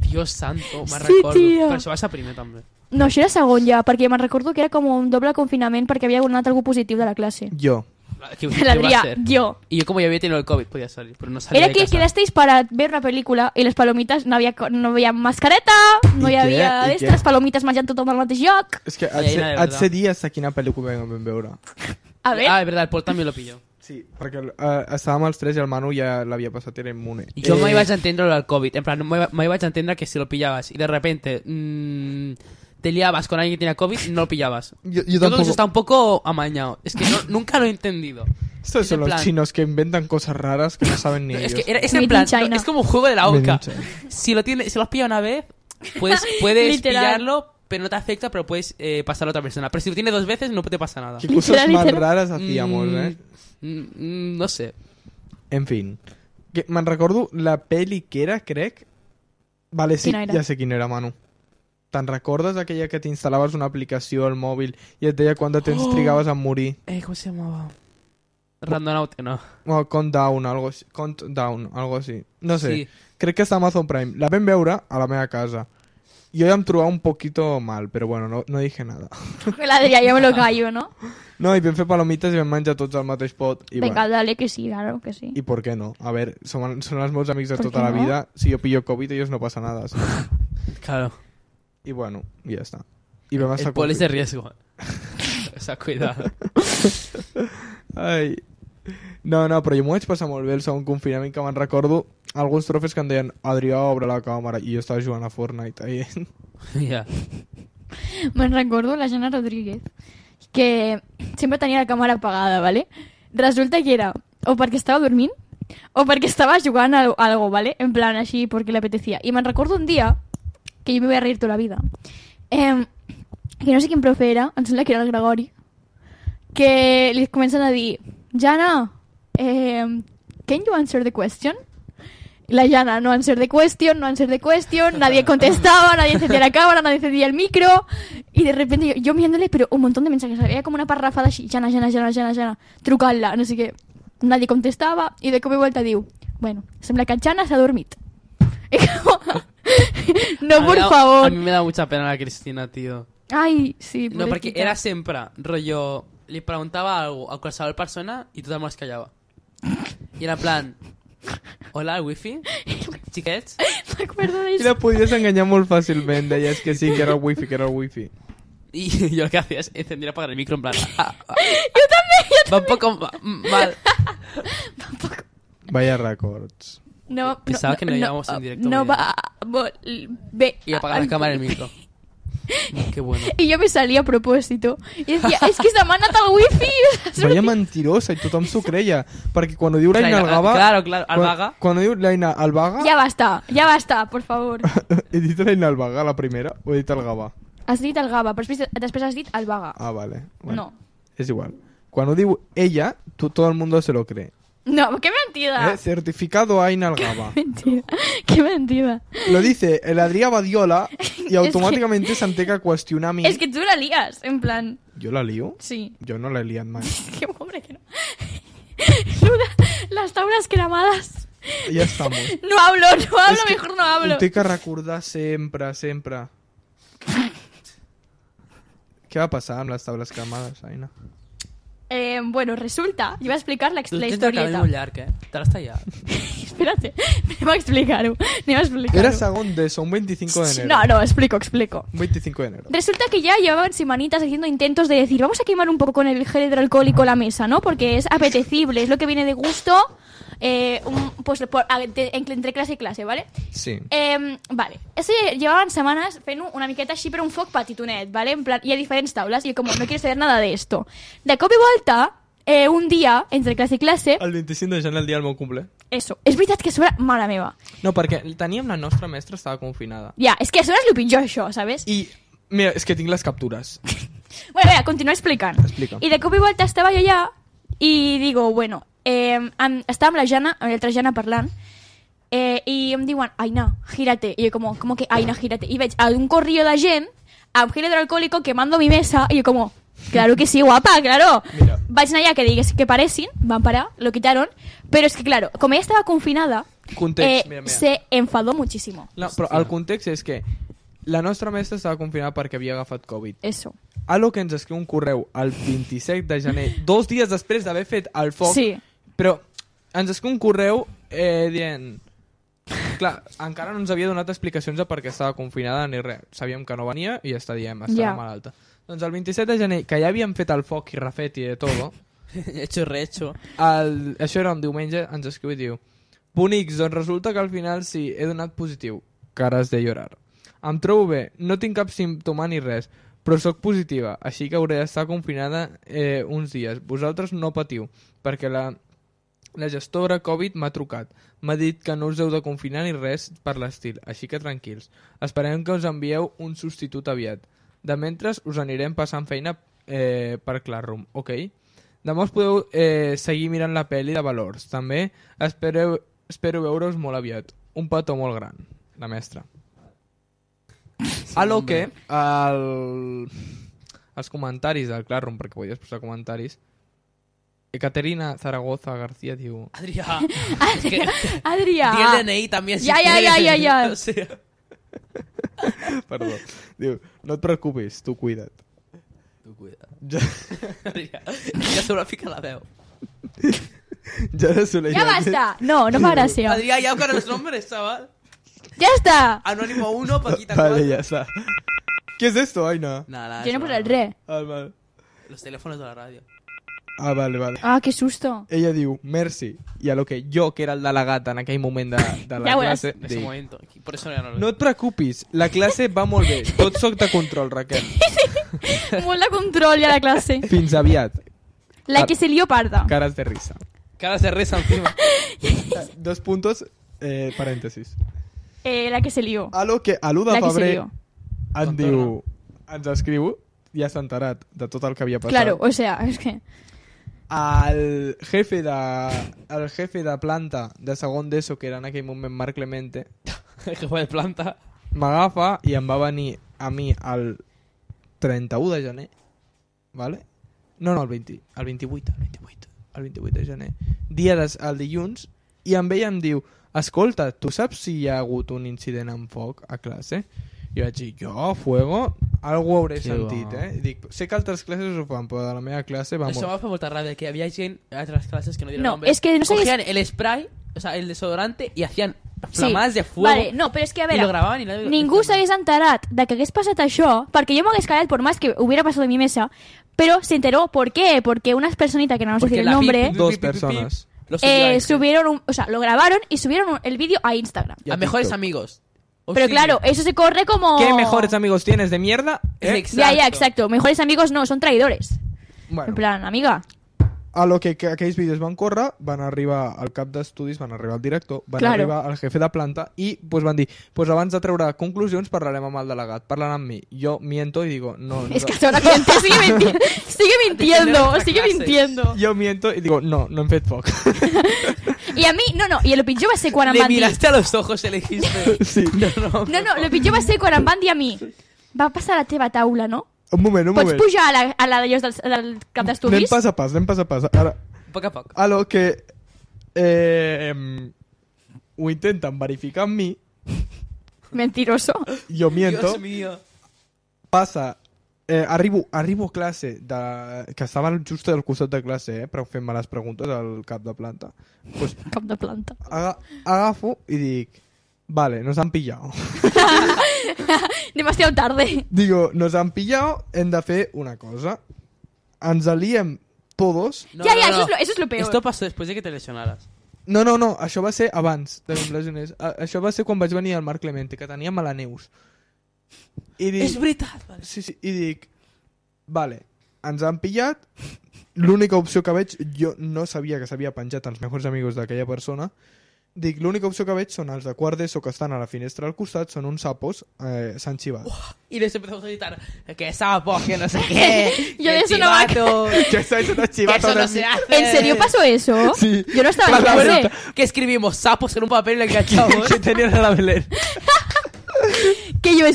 Dios santo, me'n Sí, recordo. tio. Però això va ser primer, també. No, això era segon ja, perquè me'n recordo que era com un doble confinament perquè havia anat algú positiu de la clase. Jo. ¿Qué L'Adrià, jo. Y yo como ya había tenido el COVID podía salir, pero no salía Era de que casa. quedasteis para ver una película y les palomitas no había mascareta, no I hi què? havia I d'estres, què? les palomites menjant tothom al mateix lloc. És que Ai, Aina, de et verdad. sé dir hasta quina pel·lícula vam veure. A ver, Ah, es verdad, el Paul también lo pilló. Sí, perquè estàvem els tres i el Manu ja l'havia passat, era immune. Y yo me iba a entender lo del COVID, en plan, me iba a entender que si lo pillabas y de repente te liabas con alguien que tenía COVID, no lo pillabas. Yo Yo creo que tampoco. eso está un poco amañado. Es que nunca lo he entendido. Estos Es son en los plan- chinos que inventan cosas raras que no saben ni ellos. Es que es Made en in plan, China. es como un juego de la Made in OCA. China. Si lo has pillado una vez, puedes Literal. pillarlo, pero no te afecta, pero puedes pasarlo a otra persona. Pero si lo tienes 2 veces, no te pasa nada. Qué cosas más Literal. raras hacíamos, No sé. En fin. Que me'n recordo la peli que era, crec... Vale, sí, Quina era? ja sé quina era, Manu. Te'n recordes aquella que t'instal·laves una aplicació al mòbil i et deia quant de temps trigaves a morir? ¿Cómo se llamaba? Randonaut, no. O Countdown, algo així. Countdown, algo així. No sé. Sí. Crec que està a Amazon Prime. La vam veure a la meva casa. Jo ja em trobava un poquito mal, però bueno, no dije nada. l'Adrià, jo me lo callo, ¿no? No, i vam fer palomites i vam menjar tots al mateix pot. I Venga, bueno, dale que sí, claro que sí. ¿y por qué no? A ver, son los meus amics de ¿Por tota qué la no? vida. Si yo pillo COVID, ellos no pasa nada. ¿sí? Claro. Y bueno, ya está. Y vam estar El Paul es de confi- riesgo. O sea, cuidado. Ai. No, però jo m'ho vaig passar molt bé el segon confinament, que me'n recordo alguns trofes que em deien Adrià, obre la càmera, i jo estava jugant a Fortnite ahí. Ya. Me'n recordo la Jana Rodríguez, que sempre tenia la càmera apagada, ¿vale? Resulta que era o perquè estava dormint o perquè estava jugant a algo, ¿vale? En plan, així, perquè le apetecía. I me'n recordo un dia, que jo me voy a reír tota la vida, que no sé quin profe era, em sembla que era el Gregori, que li comencen a dir, Jana, can you answer the question? Y la Jana, no answer the question, nadie contestaba, nadie encendía la cámara, nadie encendía el micro, y de repente yo mirándole, pero un montón de mensajes, había como una parrafada así, Jana, trucant-la, no sé què, nadie contestaba, y de cop i volta diu, bueno, sembla que Jana s'ha dormit. Y como, no, por favor. A mí me da mucha pena la Cristina, tío. Ay, sí, No, porque pobrecita. era siempre rollo. Le preguntaba algo a qualsevol persona y tothom es callava. Y era en plan, hola, wifi, xiquets. M'acuerdo I d'això. la podies enganyar molt fàcilment, deies que sí, que era el wifi. Y yo lo que hacía es encender y apagar el micro en plan. Yo también. Va un poco mal. Vaya records. No, Pensaba que no íbamos en directo, No muy bien. va a volver. Y apagar la cámara y el micro. Qué bueno. Y yo me salí a propósito. Y decía, es que se m'ha anat el wifi. Vaya mentirosa, i tothom s'ho creia. Perquè quan ho diu l'Aina Algaba... Claro, Albaga. Quan ho diu l'Aina Albaga... Ya basta, por favor. He dit l'Aina Albaga, la primera, o he dit el Gava? Has dit el Gava, però després has dit el Vaga. Ah, vale. Bueno, No. És igual. Quan ho diu ella, tot el mundo se lo cree. No, qué mentira. Certificado Aina Algaba. Mentira. Qué mentira. Lo dice el Adrià Badiola y automáticamente s'entén que qüestionar a mi... Es que tú la lías, en plan... Jo la lío? Sí. Jo no l'he liat mai. Qué hombre que no. Las tablas cremadas. Ja estamos. No hablo, És que mejor no hablo. Ho té que recordar sempre, sempre. Què va passar amb les tables cremades, Aina? Bueno, resulta... Yo voy a explicar la Tens el historieta. cabell molt llarg, Te l'has tallat. Espérate, anem a explicar-ho. Era segon d'ESO, un 25 de enero. No, explico. Un 25 de enero. Resulta que ya llevaban semanitas haciendo intentos de decir, vamos a quemar un poco con el gel hidroalcohólico la mesa, ¿no? Porque es apetecible, es lo que viene de gusto, entre clase y clase, ¿vale? Sí. Vale. Eso llevaban semanas fent una miqueta així per un foc petitonet, ¿vale? En plan, hi ha diferents taules i como no quiero saber nada de esto. De cop i volta, un dia, entre classe i classe... El 25 de gener, el dia del meu cumple. Eso. És veritat que a sobre, mare meva. No, perquè teníem la nostra mestra, estava confinada. Ja, és que a sobre és el pitjor, això, ¿sabes? I, mira, és que tinc les captures. Bueno, venga, continúo explicant. Explica. I de cop i volta estava jo allà i digo, bueno, estava amb la Jana, amb l'altra Jana parlant, i em diuen, Aina, gírate. I jo como que Aina, gírate. I veig un corrillo de gent amb gel hidroalcohólico quemando mi mesa i jo como, claro que sí, guapa, claro. Mira. Vaig anar allà que digues que paressin, van parar, lo quitaron, pero es que claro, como ella estaba confinada, Context, mira. se enfadó muchísimo. No, però el context és que la nostra mestra estava confinada perquè havia agafat Covid. Eso. A lo que ens escriu un correu el 27 de gener, 2 dies després d'haver fet el foc, Sí. però ens escriu un correu dient... Clar, encara no ens havia donat explicacions de per què estava confinada ni res. Sabíem que no venia i ja està dient, estava malalta. Doncs el 27 de gener, que ja havíem fet el foc i refet i de tot, Hecho y rehecho. això era un diumenge, ens escriu i diu: bonics, doncs resulta que al final sí, he donat positiu. Cares de llorar. Em trobo bé, no tinc cap símptoma ni res, però sóc positiva, així que hauré d'estar confinada uns dies. Vosaltres no patiu, perquè la gestora Covid m'ha trucat. M'ha dit que no us heu de confinar ni res per l'estil, així que tranquils. Esperem que us envieu un substitut aviat. De mentre us anirem passant feina per Classroom, ok? Demà us podeu seguir mirant la pel·li de valors. També espero veure-us molt aviat. Un petó molt gran. La mestra. A lo que els comentaris del Classroom, perquè podies posar comentaris, Caterina Zaragoza García diu... Adrià. Adrià. Di el DNI también. Ya. O sea... Perdó. Diu, no et preocupis, tu cuida't. Tu cuida't. Adrià. Ja se m'ha ficat la veu. Ya basta. No fa gràcia. Adrià, ya con los nombres, chaval. Ya está. Anónimo 1, Paquita 4. Vale, ya está. ¿Qué es esto, Aina? Nada, Yo no puse el re. Vale. Los teléfonos de la radio. Vale. Ah, qué susto. Ella diu, merci. I a lo que jo, que era el delegat en aquell moment de la classe, En ese dic, momento. Por eso ya no lo no et preocupis, la classe va molt bé. Tot soc de control, Raquel. Molt de control ja la classe. Fins aviat. La que se lió parda. Caras de risa. Caras de risa encima. 2 puntos, parèntesis. La que se lió. A lo que a l'1 de La que se febrer lió. ens escriu, ja s'ha enterat de tot el que havia passat. Claro, o sea, es que... El jefe de planta de segon d'ESO, que era en aquell moment Marc Clemente, El jefe de planta. m'agafa i em va venir a mi el 31 de gener, ¿vale? No, el 28 de gener, el dilluns, i em ve i em diu, escolta, tu saps si hi ha hagut un incident amb foc a classe? I vaig dir, jo, fuego, algú hauré sentit, I dic, sé que altres classes ho fan, però de la meva classe va Eso molt... me fa molta ràbia, que había gente en otras clases que no dieron No, nombre. es que no sé... Cogían el spray, o sea, el desodorante, y hacían Sí. flamadas de fuego. Vale, no, però és que a y veure, lo grababan y nadie lo ningú s'hagués enterat de que hagués passat això, perquè jo m'hagués callat por más que hubiera pasado en mi mesa, pero se enteró. ¿Por qué? Porque unas personitas que no vamos a Porque decir el la nombre Dos personas. Lo subió subieron o sea, lo grabaron y subieron el vídeo a Instagram. Y a a mejores TikTok. amigos. Pero claro, eso se corre como... ¿Qué mejores amigos tienes de mierda? Exacto. Ya, exacto. Mejores amigos no, son traidores. Bueno, En plan, amiga. a lo que aquells vídeos van córrer, van arribar al cap d'estudis, van arribar al director, van arribar al jefe de planta i pues, van dir, pues, abans de treure conclusions parlarem amb el delegat, parlant amb mi. Jo miento y digo, no. Es que ahora miente, sigue mintiendo. Jo miento y digo, no hem fet foc. Y a mí, no, y lo pitjor va ser quan em Le van dir... miraste a los ojos y le dijiste... Sí. No, lo pitjor va ser quan em van dir a mi va passar a la teva taula, no? Un moment. Pots pujar a la d'allò del cap d'estudis? Anem pas a pas. Ara, A poc a poc. a lo que ho intenten verificar amb mi, Mentiroso. jo miento, Dios mío. passa, arribo a classe, que estava just al costat de classe, però fent-me les preguntes al cap de planta. Pues, Cap de planta. agafo i dic, vale, nos han pillado. Demasiado tarde. Digo, nos han pillado, hem de fer una cosa. Ens aliem todos. Ya, eso es lo peor. Esto pasó después de que te lesionaras. No, això va ser abans de que em lesionés. Això va ser quan vaig venir al Marc Clemente, que teníem a la Neus. I dic, És veritat. Vale. Sí, i dic, vale, ens han pillat, l'única opció que veig, jo no sabia que s'havia penjat els mejors amigos d'aquella persona, dic, l'única opció que veig són els de quart d'ESO que estan a la finestra al costat, són uns sapos, s'han xivat. Y les empezamos a gritar que sapo, que no sé qué. Yo de que eso no me chivato, Que s'han que xivat eso no se hace. ¿En serio pasó eso? Sí. Yo no estaba en La clase. verdad. Que escribimos sapos en un papel y le enganchamos. que tenían a la Belén. Que yo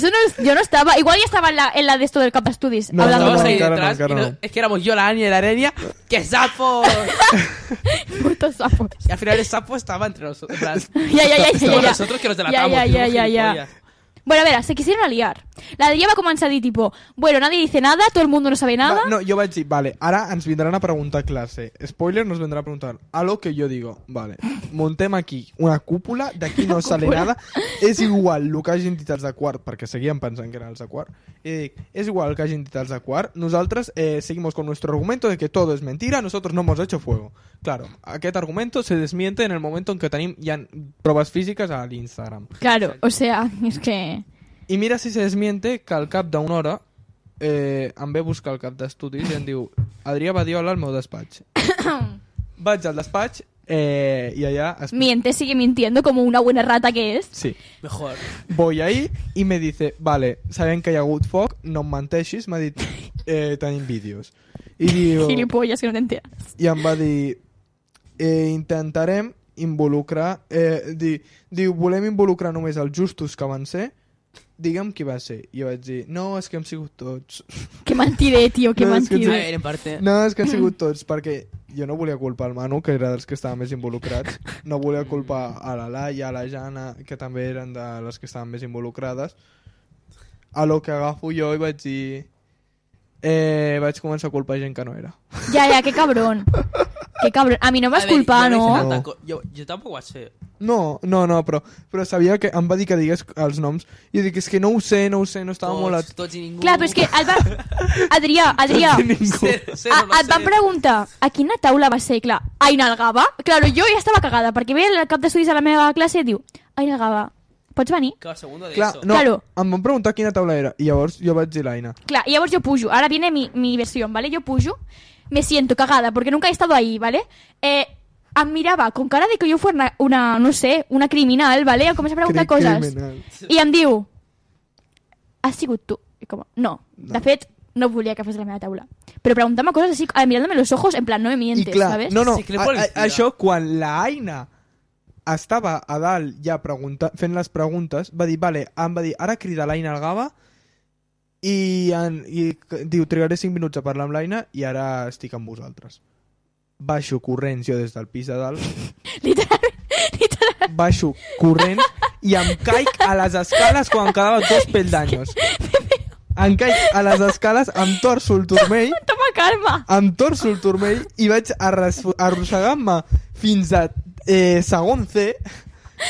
no estaba. Igual ya estaba en la de esto del cap d'estudis. No, hablando Estábamos con ahí encara no, detrás encara y no. es que éramos yo, la Ania y la Arenia. ¡Qué sapo! putos sapos. Y al final el sapo estaba entre nosotros. En plan, Ya. estamos nosotros que nos delatamos. Ya. somos gilipollas. Bueno, a ver, se quisieron liar. La de ella va a comenzar a decir tipo, bueno, nadie dice nada, todo el mundo no sabe nada. No, jo vaig dir, vale, ara ens vindran a preguntar a classe. Spoiler, nos vendrà a preguntar. A lo que yo digo, vale, montem aquí una cúpula, d'aquí no sale nada, és igual el que hagin dit els de quart, perquè seguíem pensant que eren els de quart, i dic, és igual el que hagin dit els de quart, nosaltres seguimos con nuestro argumento de que todo es mentira, nosotros no hemos hecho fuego. Claro, aquest argumento se desmiente en el momento en que tenim ja proves físiques a l'Instagram. Claro, o sea, es que... I mira si se desmiente que al cap d'una hora em ve a buscar el cap d'estudis i em diu Adrià Badiola al meu despatx. Vaig al despatx y allá... Miente, sigue mintiendo como una buena rata que es. Sí. Mejor. Voy ahí y me dice, vale, sabem que hi ha hagut foc, no em menteixis, m'ha dit, tenim vídeos. I diu... Gilipollas, que no te enteras. I em va dir, intentarem involucrar... diu, volem involucrar només els justos que van ser, digue'm qui va ser. I jo vaig dir, no, és que hem sigut tots. Qué mentiré, tío, qué No, es que A mentiré. ver, en parte. No, és que han sigut tots, perquè jo no volia culpar el Manu, que era dels que estaven més involucrats, no volia culpar a la Laia, a la Jana, que també eren de les que estaven més involucrades. A lo que agafo jo i vaig dir... vaig començar a culpar gent que no era. Ya, qué cabrón. Qué cabrón. A mí no me vas A ver, culpar, yo no hice ¿no? tanta yo tampoco vaig fer. No, però sabia que em va dir que digués els noms i jo dic, és que no ho sé, no estava molt... Tots i ningú. Clar, però és que Adrià, et van preguntar a quina taula va ser, clar, Aina Algaba? Claro, jo ja estava cagada, perquè ve el cap d'estudis a la meva classe i diu, Aina Algaba, pots venir? Clar, segundo de Clar, eso. no, Claro. em van preguntar quina taula era i llavors jo vaig dir l'Aina. Clar, y llavors yo pujo. Ahora viene mi versión, ¿vale? Yo pujo, me siento cagada porque nunca he estado ahí, ¿vale? Em mirava con cara de que jo fuera una no sé, una criminal, ¿vale? Em comença a preguntar coses. Criminal. I em diu, has sigut tu? I com, no. De fet, no volia que fos la meva taula. Però preguntar-me coses así, mirándome los ojos, en plan, no me mientes, I clar, ¿sabes? no, Sí, que le policía. això quan la Aina estava a dalt ja fent les preguntes, va dir, vale, em va dir, ara crida l'Aina Algaba i diu, trigaré 5 minuts a parlar amb l'Aina i ara estic amb vosaltres. Baixo corrents jo des del pis de dalt, Literalment. baixo corrents i em caic a les escales quan em quedaven 2 peldaños. Em caic a les escales, em torço el turmell, Toma calma. em torço el turmell i vaig arrossegant-me fins a segon C,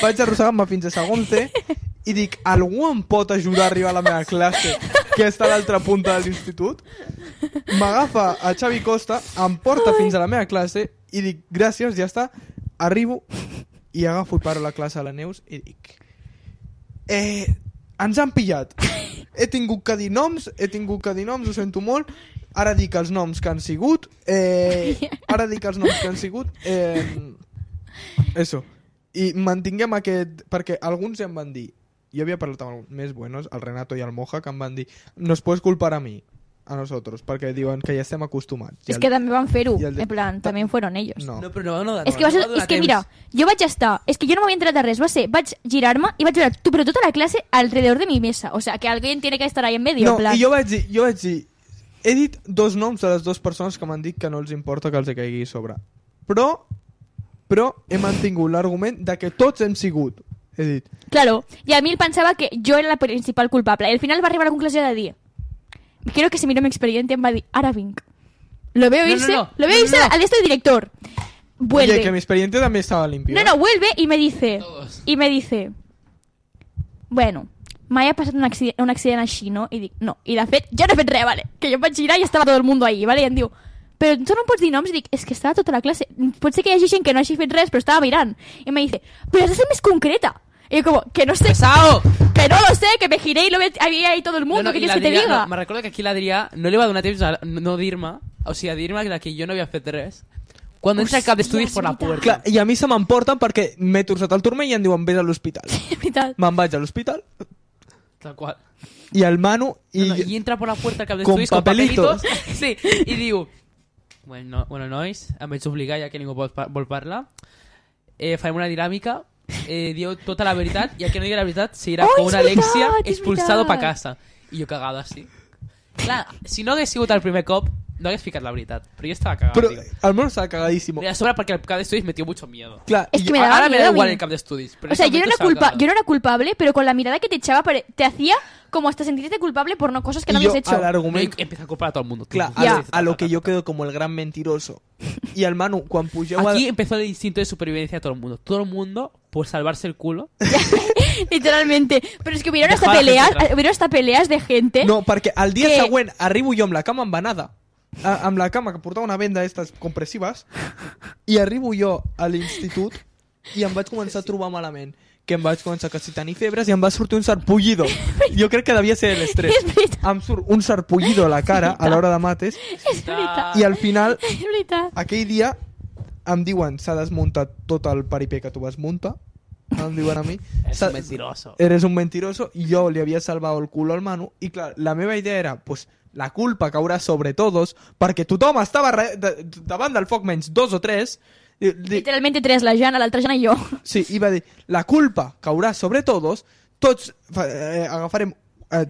vaig arrossegant-me fins a segon C i dic, algú em pot ajudar a arribar a la meva classe que està a l'altra punta de l'institut? M'agafa a Xavi Costa, em porta fins a la meva classe i dic, gràcies, ja està, arribo i agafo i paro la classe a la Neus i dic, ens han pillat, he tingut que dir noms, ho sento molt, Ara dic els noms que han sigut. Eso. I mantinguem aquest... Perquè alguns ja em van dir... Jo havia parlat amb més buenos, el Renato i el Moja, que em van dir nos puedes culpar a mí, a nosotros, perquè diuen que ja estem acostumats. És que també van fer-ho, i el de- en plan, també fueron ellos. No. No, però no, És que, és que mira, jo vaig estar... És que jo no m'havia entrat de res, vaig girar-me i vaig veure però tota la classe alrededor de mi mesa. O sea, que alguien tiene que estar ahí en medio. No, en plan. i jo vaig dir... He dit 2 noms de les 2 persones que m'han dit que no els importa que els caigui a sobre. Però he mantingut l'argument de que tots hem sigut. He dit... Claro, y a mí él pensaba que yo era la principal culpable. Y al final va a arribar a la conclusión de dir quiero que se miró mi expediente en Badi. Ahora Vink. Lo veo irse, al de este director. Vuelve. Oye, que mi expediente también estaba limpio. No, vuelve y me dice... Todos. Y me dice... Bueno, m'ha passat un accident així, no? I dic, no. I de fet, jo no he fet res, vale? Que jo em vaig girar i estava tot el mundo ahí, vale? I em diu, però tu no em pots dir noms? I dic, és que estava tota la classe. Pot ser que hi hagi gent que no hagi fet res, però estava mirant. I me dice, però has de ser més concreta. Y yo como, que no sé... ¡Pesado! Que no lo sé, que me giré y lo había ahí todo el mundo. ¿Qué quieres que te diga? No, me recordo que aquí l'Adrià no li va donar temps a no dir-me, o sigui, a dir-me que jo no havia fet res, quan entra al cap d'estudis per la puerta. Clar, i a mi se m'emporten perquè m'he torçat el turmell i em diuen vés a l'hospital. És veritat. Me'n vaig a l'hospital Tal qual. i el Manu... I entra per la puerta al cap d'estudis con con papelitos. papelitos. Sí, i diu... Bueno, nois, em vaig obligar, ja que ningú vol parlar. Farem una dinàmica. Diu tota la veritat i el que no digui la veritat seguirà com una Alexia expulsado pa casa. I jo cagado així. Clar, si no hagués sigut el primer cop no hagués ficat la veritat, però jo estava cagat. Però el Manu estava cagadísimo. I a sobre perquè el cap d'estudis me dio mucho miedo. Clar, Es i que me daba Ahora me miedo da a mí. igual el cap d'estudis. O sea, yo no era culpable, pero con la mirada que te echaba te hacía como hasta sentirte culpable por no cosas que no yo habías hecho. al argument... Empieza a culpar a todo el mundo. Clar, Ja. a lo que yo quedo como el gran mentiroso. I el Manu, quan pugeu... Aquí empezó el instinto de supervivencia de todo el mundo. Todo el mundo, por salvarse el culo. Literalmente. Pero es que hubieron Dejaba a la gente hasta peleas de gente. No, perquè el dia Que- següent arribo jo amb la cama embanada, amb la cama que portava una venda d'estes compressives, i arribo jo a l'institut i em vaig començar a trobar malament. Que em vaig començar a tenir febres i em va sortir un sarpullido. Jo crec que devia ser l'estrès. És veritat. Em surt un sarpullido a la cara a l'hora de mates És veritat. i al final, És veritat. aquell dia, em diuen s'ha desmuntat tot el paripé que tu vas muntar. Em diuen a mi. Es un mentiroso. Eres un mentiroso i jo li havia salvat el cul al Manu i clar, la meva idea era pues, la culpa caurà sobre todos perquè tothom estava davant del foc menys 2 o 3. Literalmente 3, la Jana, l'altra Jana i jo. Sí, i va dir la culpa caurà sobre todos, tots agafarem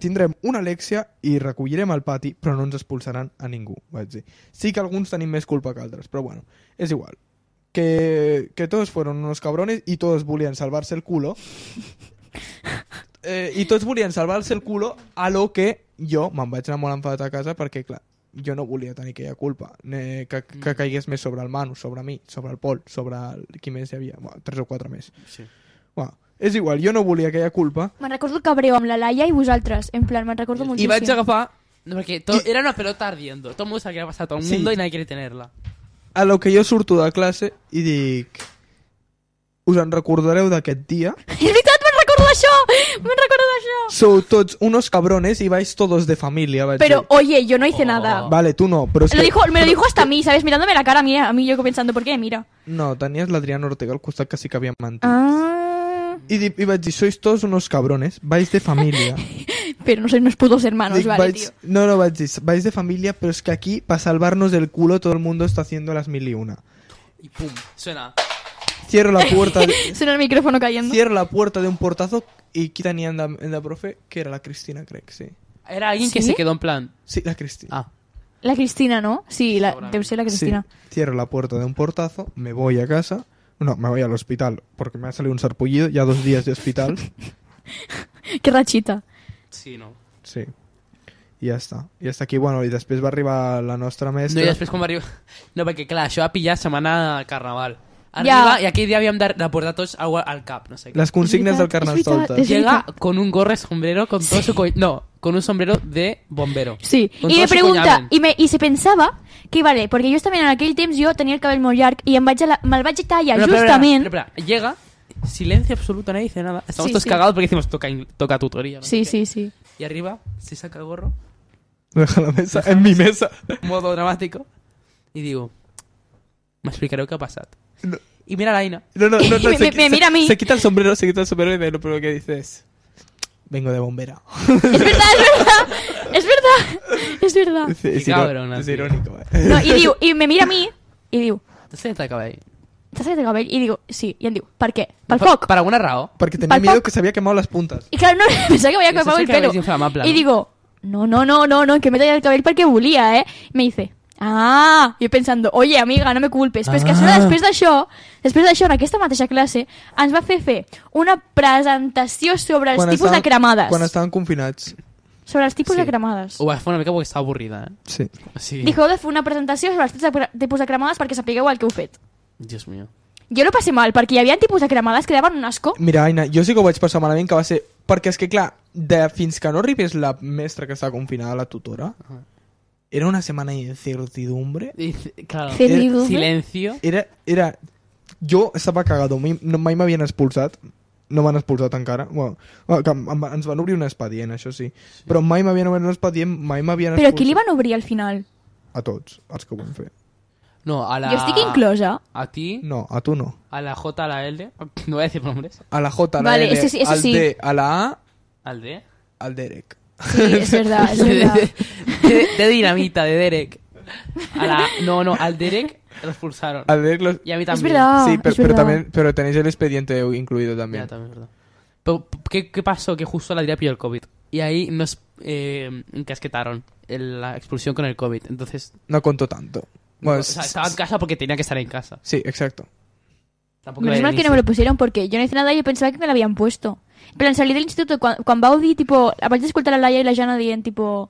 tindrem una Alexia i recollirem al pati, però no ens expulsaran a ningú, vaig dir. Sí que alguns tenim més culpa que altres, però bueno, és igual. Que todos fueron unos cabrones y todos volien salvarse el culo. I tots volien salvar-se el culo, a lo que jo me'n vaig anar molt enfadat a casa perquè, clar, jo no volia tenir aquella culpa que caigués més sobre el Manu, sobre mi, sobre el Pol, sobre qui més hi havia, 3 o 4 més. Sí. Bueno, és igual, jo no volia aquella culpa. Me'n recordo el cabreo amb la Laia i vosaltres. En plan, me'n recordo Y moltíssim. vaig agafar... No, porque era una pelota ardiendo. Todo el mundo sabía que había pasado a todo el Sí. mundo y nadie quiere tenerla. A lo que jo surto de classe i dic... Us en recordareu d'aquest dia? És veritat, me'n recordo d'això! Me'n recordo d'això! Sou tots unos cabrones y vais todos de familia, vaig Pero, dir. oye, yo no hice nada. Vale, tú no, pero es que... Me lo dijo hasta a mí, ¿sabes? Mirándome la cara a mí yo pensando, ¿por qué? Mira. No, tenies l'Adrián Ortega al costat que sí que havia mentit. Ah. I vaig dir, sois todos unos cabrones, vais de familia. Pero no sois unos putos hermanos, Dic, vale, tío. No, vaig dir, vais de familia, pero es que aquí, para salvarnos del culo, todo el mundo está haciendo las 1001. Y pum, suena. Cierro la puerta Suena el micrófono cayendo. cierro la puerta de un portazo y qui tenia en la profe, que era la Cristina, crec, sí. Era alguien que ¿Sí? se quedó en plan... Sí, la Cristina. Ah. La Cristina, ¿no? Sí, debe ser la Cristina. Sí. Cierro la puerta de un portazo, me voy a casa. No, me voy al hospital, porque me ha salido un sarpullido, ya 2 días de hospital. Qué rachita. Sí, no. Sí. I ja està. I hasta aquí, bueno, i després va arribar la nostra No, mestra. i després quan va arribar... No, perquè clar, això va pillar setmana al Carnaval. Arriba, y aquell dia havíem de portar tots agua al cap, no sé què. Les consignes del És veritat, Carnestoltes. és Llega con un gorro sombrero con todo su... No, con un sombrero de bombero. Sí, Con y todo me su pregunta, coñamen. y se pensava que, vale, perquè jo també en aquell temps jo tenia el cabell molt llarg i me'l vaig tallar Pero, justament... espera, llega, silencio absoluto, nadie dice nada. Estamos Sí, todos sí. cagados porque decimos toca tutoría. ¿no? Sí, sé qué. sí, sí. Y arriba se saca el gorro Deja la mesa, en mi mesa. modo dramático. Y digo, m'explicareu què ha passat. No. Y mira a l'Aina. No, Me mira a mí. Se quita el sombrero y de lo primero que dice es... Vengo de bombera. Es verdad. Es cabrona, es tío. irónico, No, i me mira a mi i diu, T'has tallat el cabell? t'has tallat el cabell? I digo, sí. I em diu, per què? Pel foc. Per alguna raó? Porque tenía Pal miedo foc. que se había quemado las puntas. I clar, no, pensava que m'havia quemat el cabell pelo. és inflamable, I no? digo, no, que me he tallado el cabell perquè volia, eh? I me dice, yo pensando, oye, amiga, no me culpes. Però és que a sobre, després d'això, en aquesta mateixa classe, ens va fer una presentació sobre els tipus de cremades. Quan estaven confinats. Sobre els tipus Sí. de cremades. Ho vas fer una mica perquè estava avorrida, eh? Sí. O sigui... Dijo, heu de fer una presentació sobre els tipus de cremades perquè sapigueu el que heu fet. Dios mío. Jo no passé mal, perquè hi havia tipus de cremades que daven un asco. Mira, Aina, jo sí que ho vaig passar malament, que va ser... Perquè és que, clar, fins que no arribés la mestra que estava confinada, la tutora, era una setmana d'incertidumbre. Claro. Cerridumbre. Silencio. Era... Jo estava cagado, mai m'havien expulsat. No m'han expulsat encara. Bueno, ens van obrir un expedient, això sí. Però mai m'havien obert un expedient, mai m'havien Però expulsat. qui li van obrir al final? A tots, els que ho van fer. No, a la... Jo estic inclosa. A ti, No, a tu no. a la J, a la L... No voy a decir nombres. A la J, a la Vale, L, eso sí, eso al sí. D, a la A, Al D. al Derek. Sí, es verdad, es verdad. De dinamita, de Derek. A la... No, al Derek lo expulsaron. Al Derek los... Y a mí Es también. verdad. Sí, es pero verdad. también, pero tenéis el expediente incluido también. Ya, también es verdad. Pero, ¿qué pasó? Que justo la Adrià pilló el COVID. Y ahí nos encasquetaron la expulsión con el COVID. Entonces, No contó tanto. Bueno, o sea, estaba en casa porque tenía que estar en casa. Sí, exacto. Tampoco Menos era mal que no me lo pusieron porque yo no hice nada y yo pensaba que me lo habían puesto. Pero en salir del instituto, quan vau dir, tipo, abans d'escoltar la Laia i la Jana dient, tipo,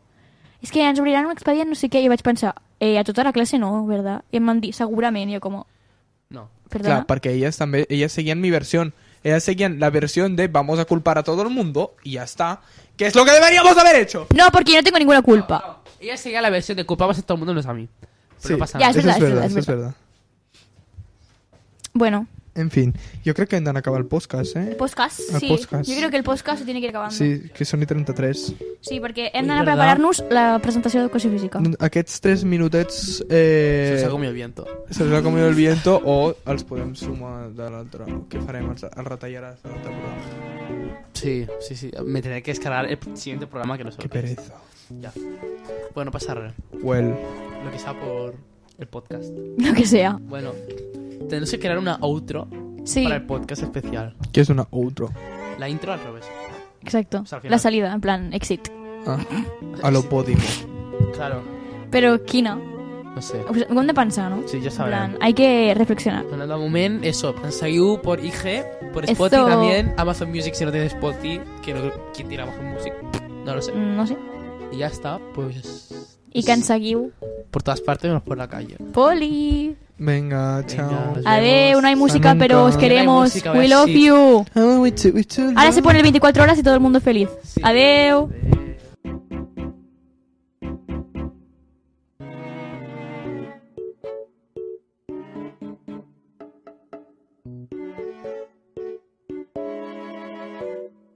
és que ens obriran un expedient, no sé què, i vaig pensar, a tota la classe no, ¿verdad? I em van dir, segurament, i jo com, No. Claro, perdona? porque ellas seguían mi versión. Ellas seguían la versión de vamos a culpar a todo el mundo y ya está. ¿Qué es lo que deberíamos haber hecho? No, porque yo no tengo ninguna culpa. Ella seguía la versión de culpamos a todo el mundo, no es a mí. Pero Sí, no pasa Ya, nada. es verdad, es eso es verdad. Bueno, En fin, yo creo que han acabar el podcast, el ¿eh? podcast, El sí. podcast. Jo creo que el podcast se tiene que ir acabando. Sí, que són i 33. Sí, perquè hem Ui, d'anar a verdad. preparar-nos la presentació d'educació física. Aquests 3 minutets Se os ha comido el viento. se els ha comido el viento o els podem sumar de l'altre. Què farem? Els retallaràs de l'altre programa? Sí. Me tendré que descargar el siguiente programa que no sé. Que pereza. Ya. Bueno, no pasa nada. Well, Lo que sea por el podcast. Lo que sea. Bueno, tenemos que crear una outro Sí, para el podcast especial. que és una outro. La intro al revés. exacto. O sea, al final. La salida, en plan, exit. Ah, a lo Podimo. Claro, Però quina? no sé. Ho hem de pensar, no? Sí, ya En sabrán. plan, hay que reflexionar. Bueno, de momento, eso. Seguiu por IG, por Spotify Esto- también. Amazon Music si no tienes Spotify. Que no, ¿quién tiene Amazon Music? No lo sé. No sé. Y ya está, pues... I que ens seguiu. Por todas partes, menos por la calle. Poli! Venga, chao. nos Adeu, vemos. no hay música, nunca. pero os No hay queremos. música, a ver We love si- you. Oh, Ahora se pone el 24 horas y todo el mundo feliz. Sí. Adeu. Adeu.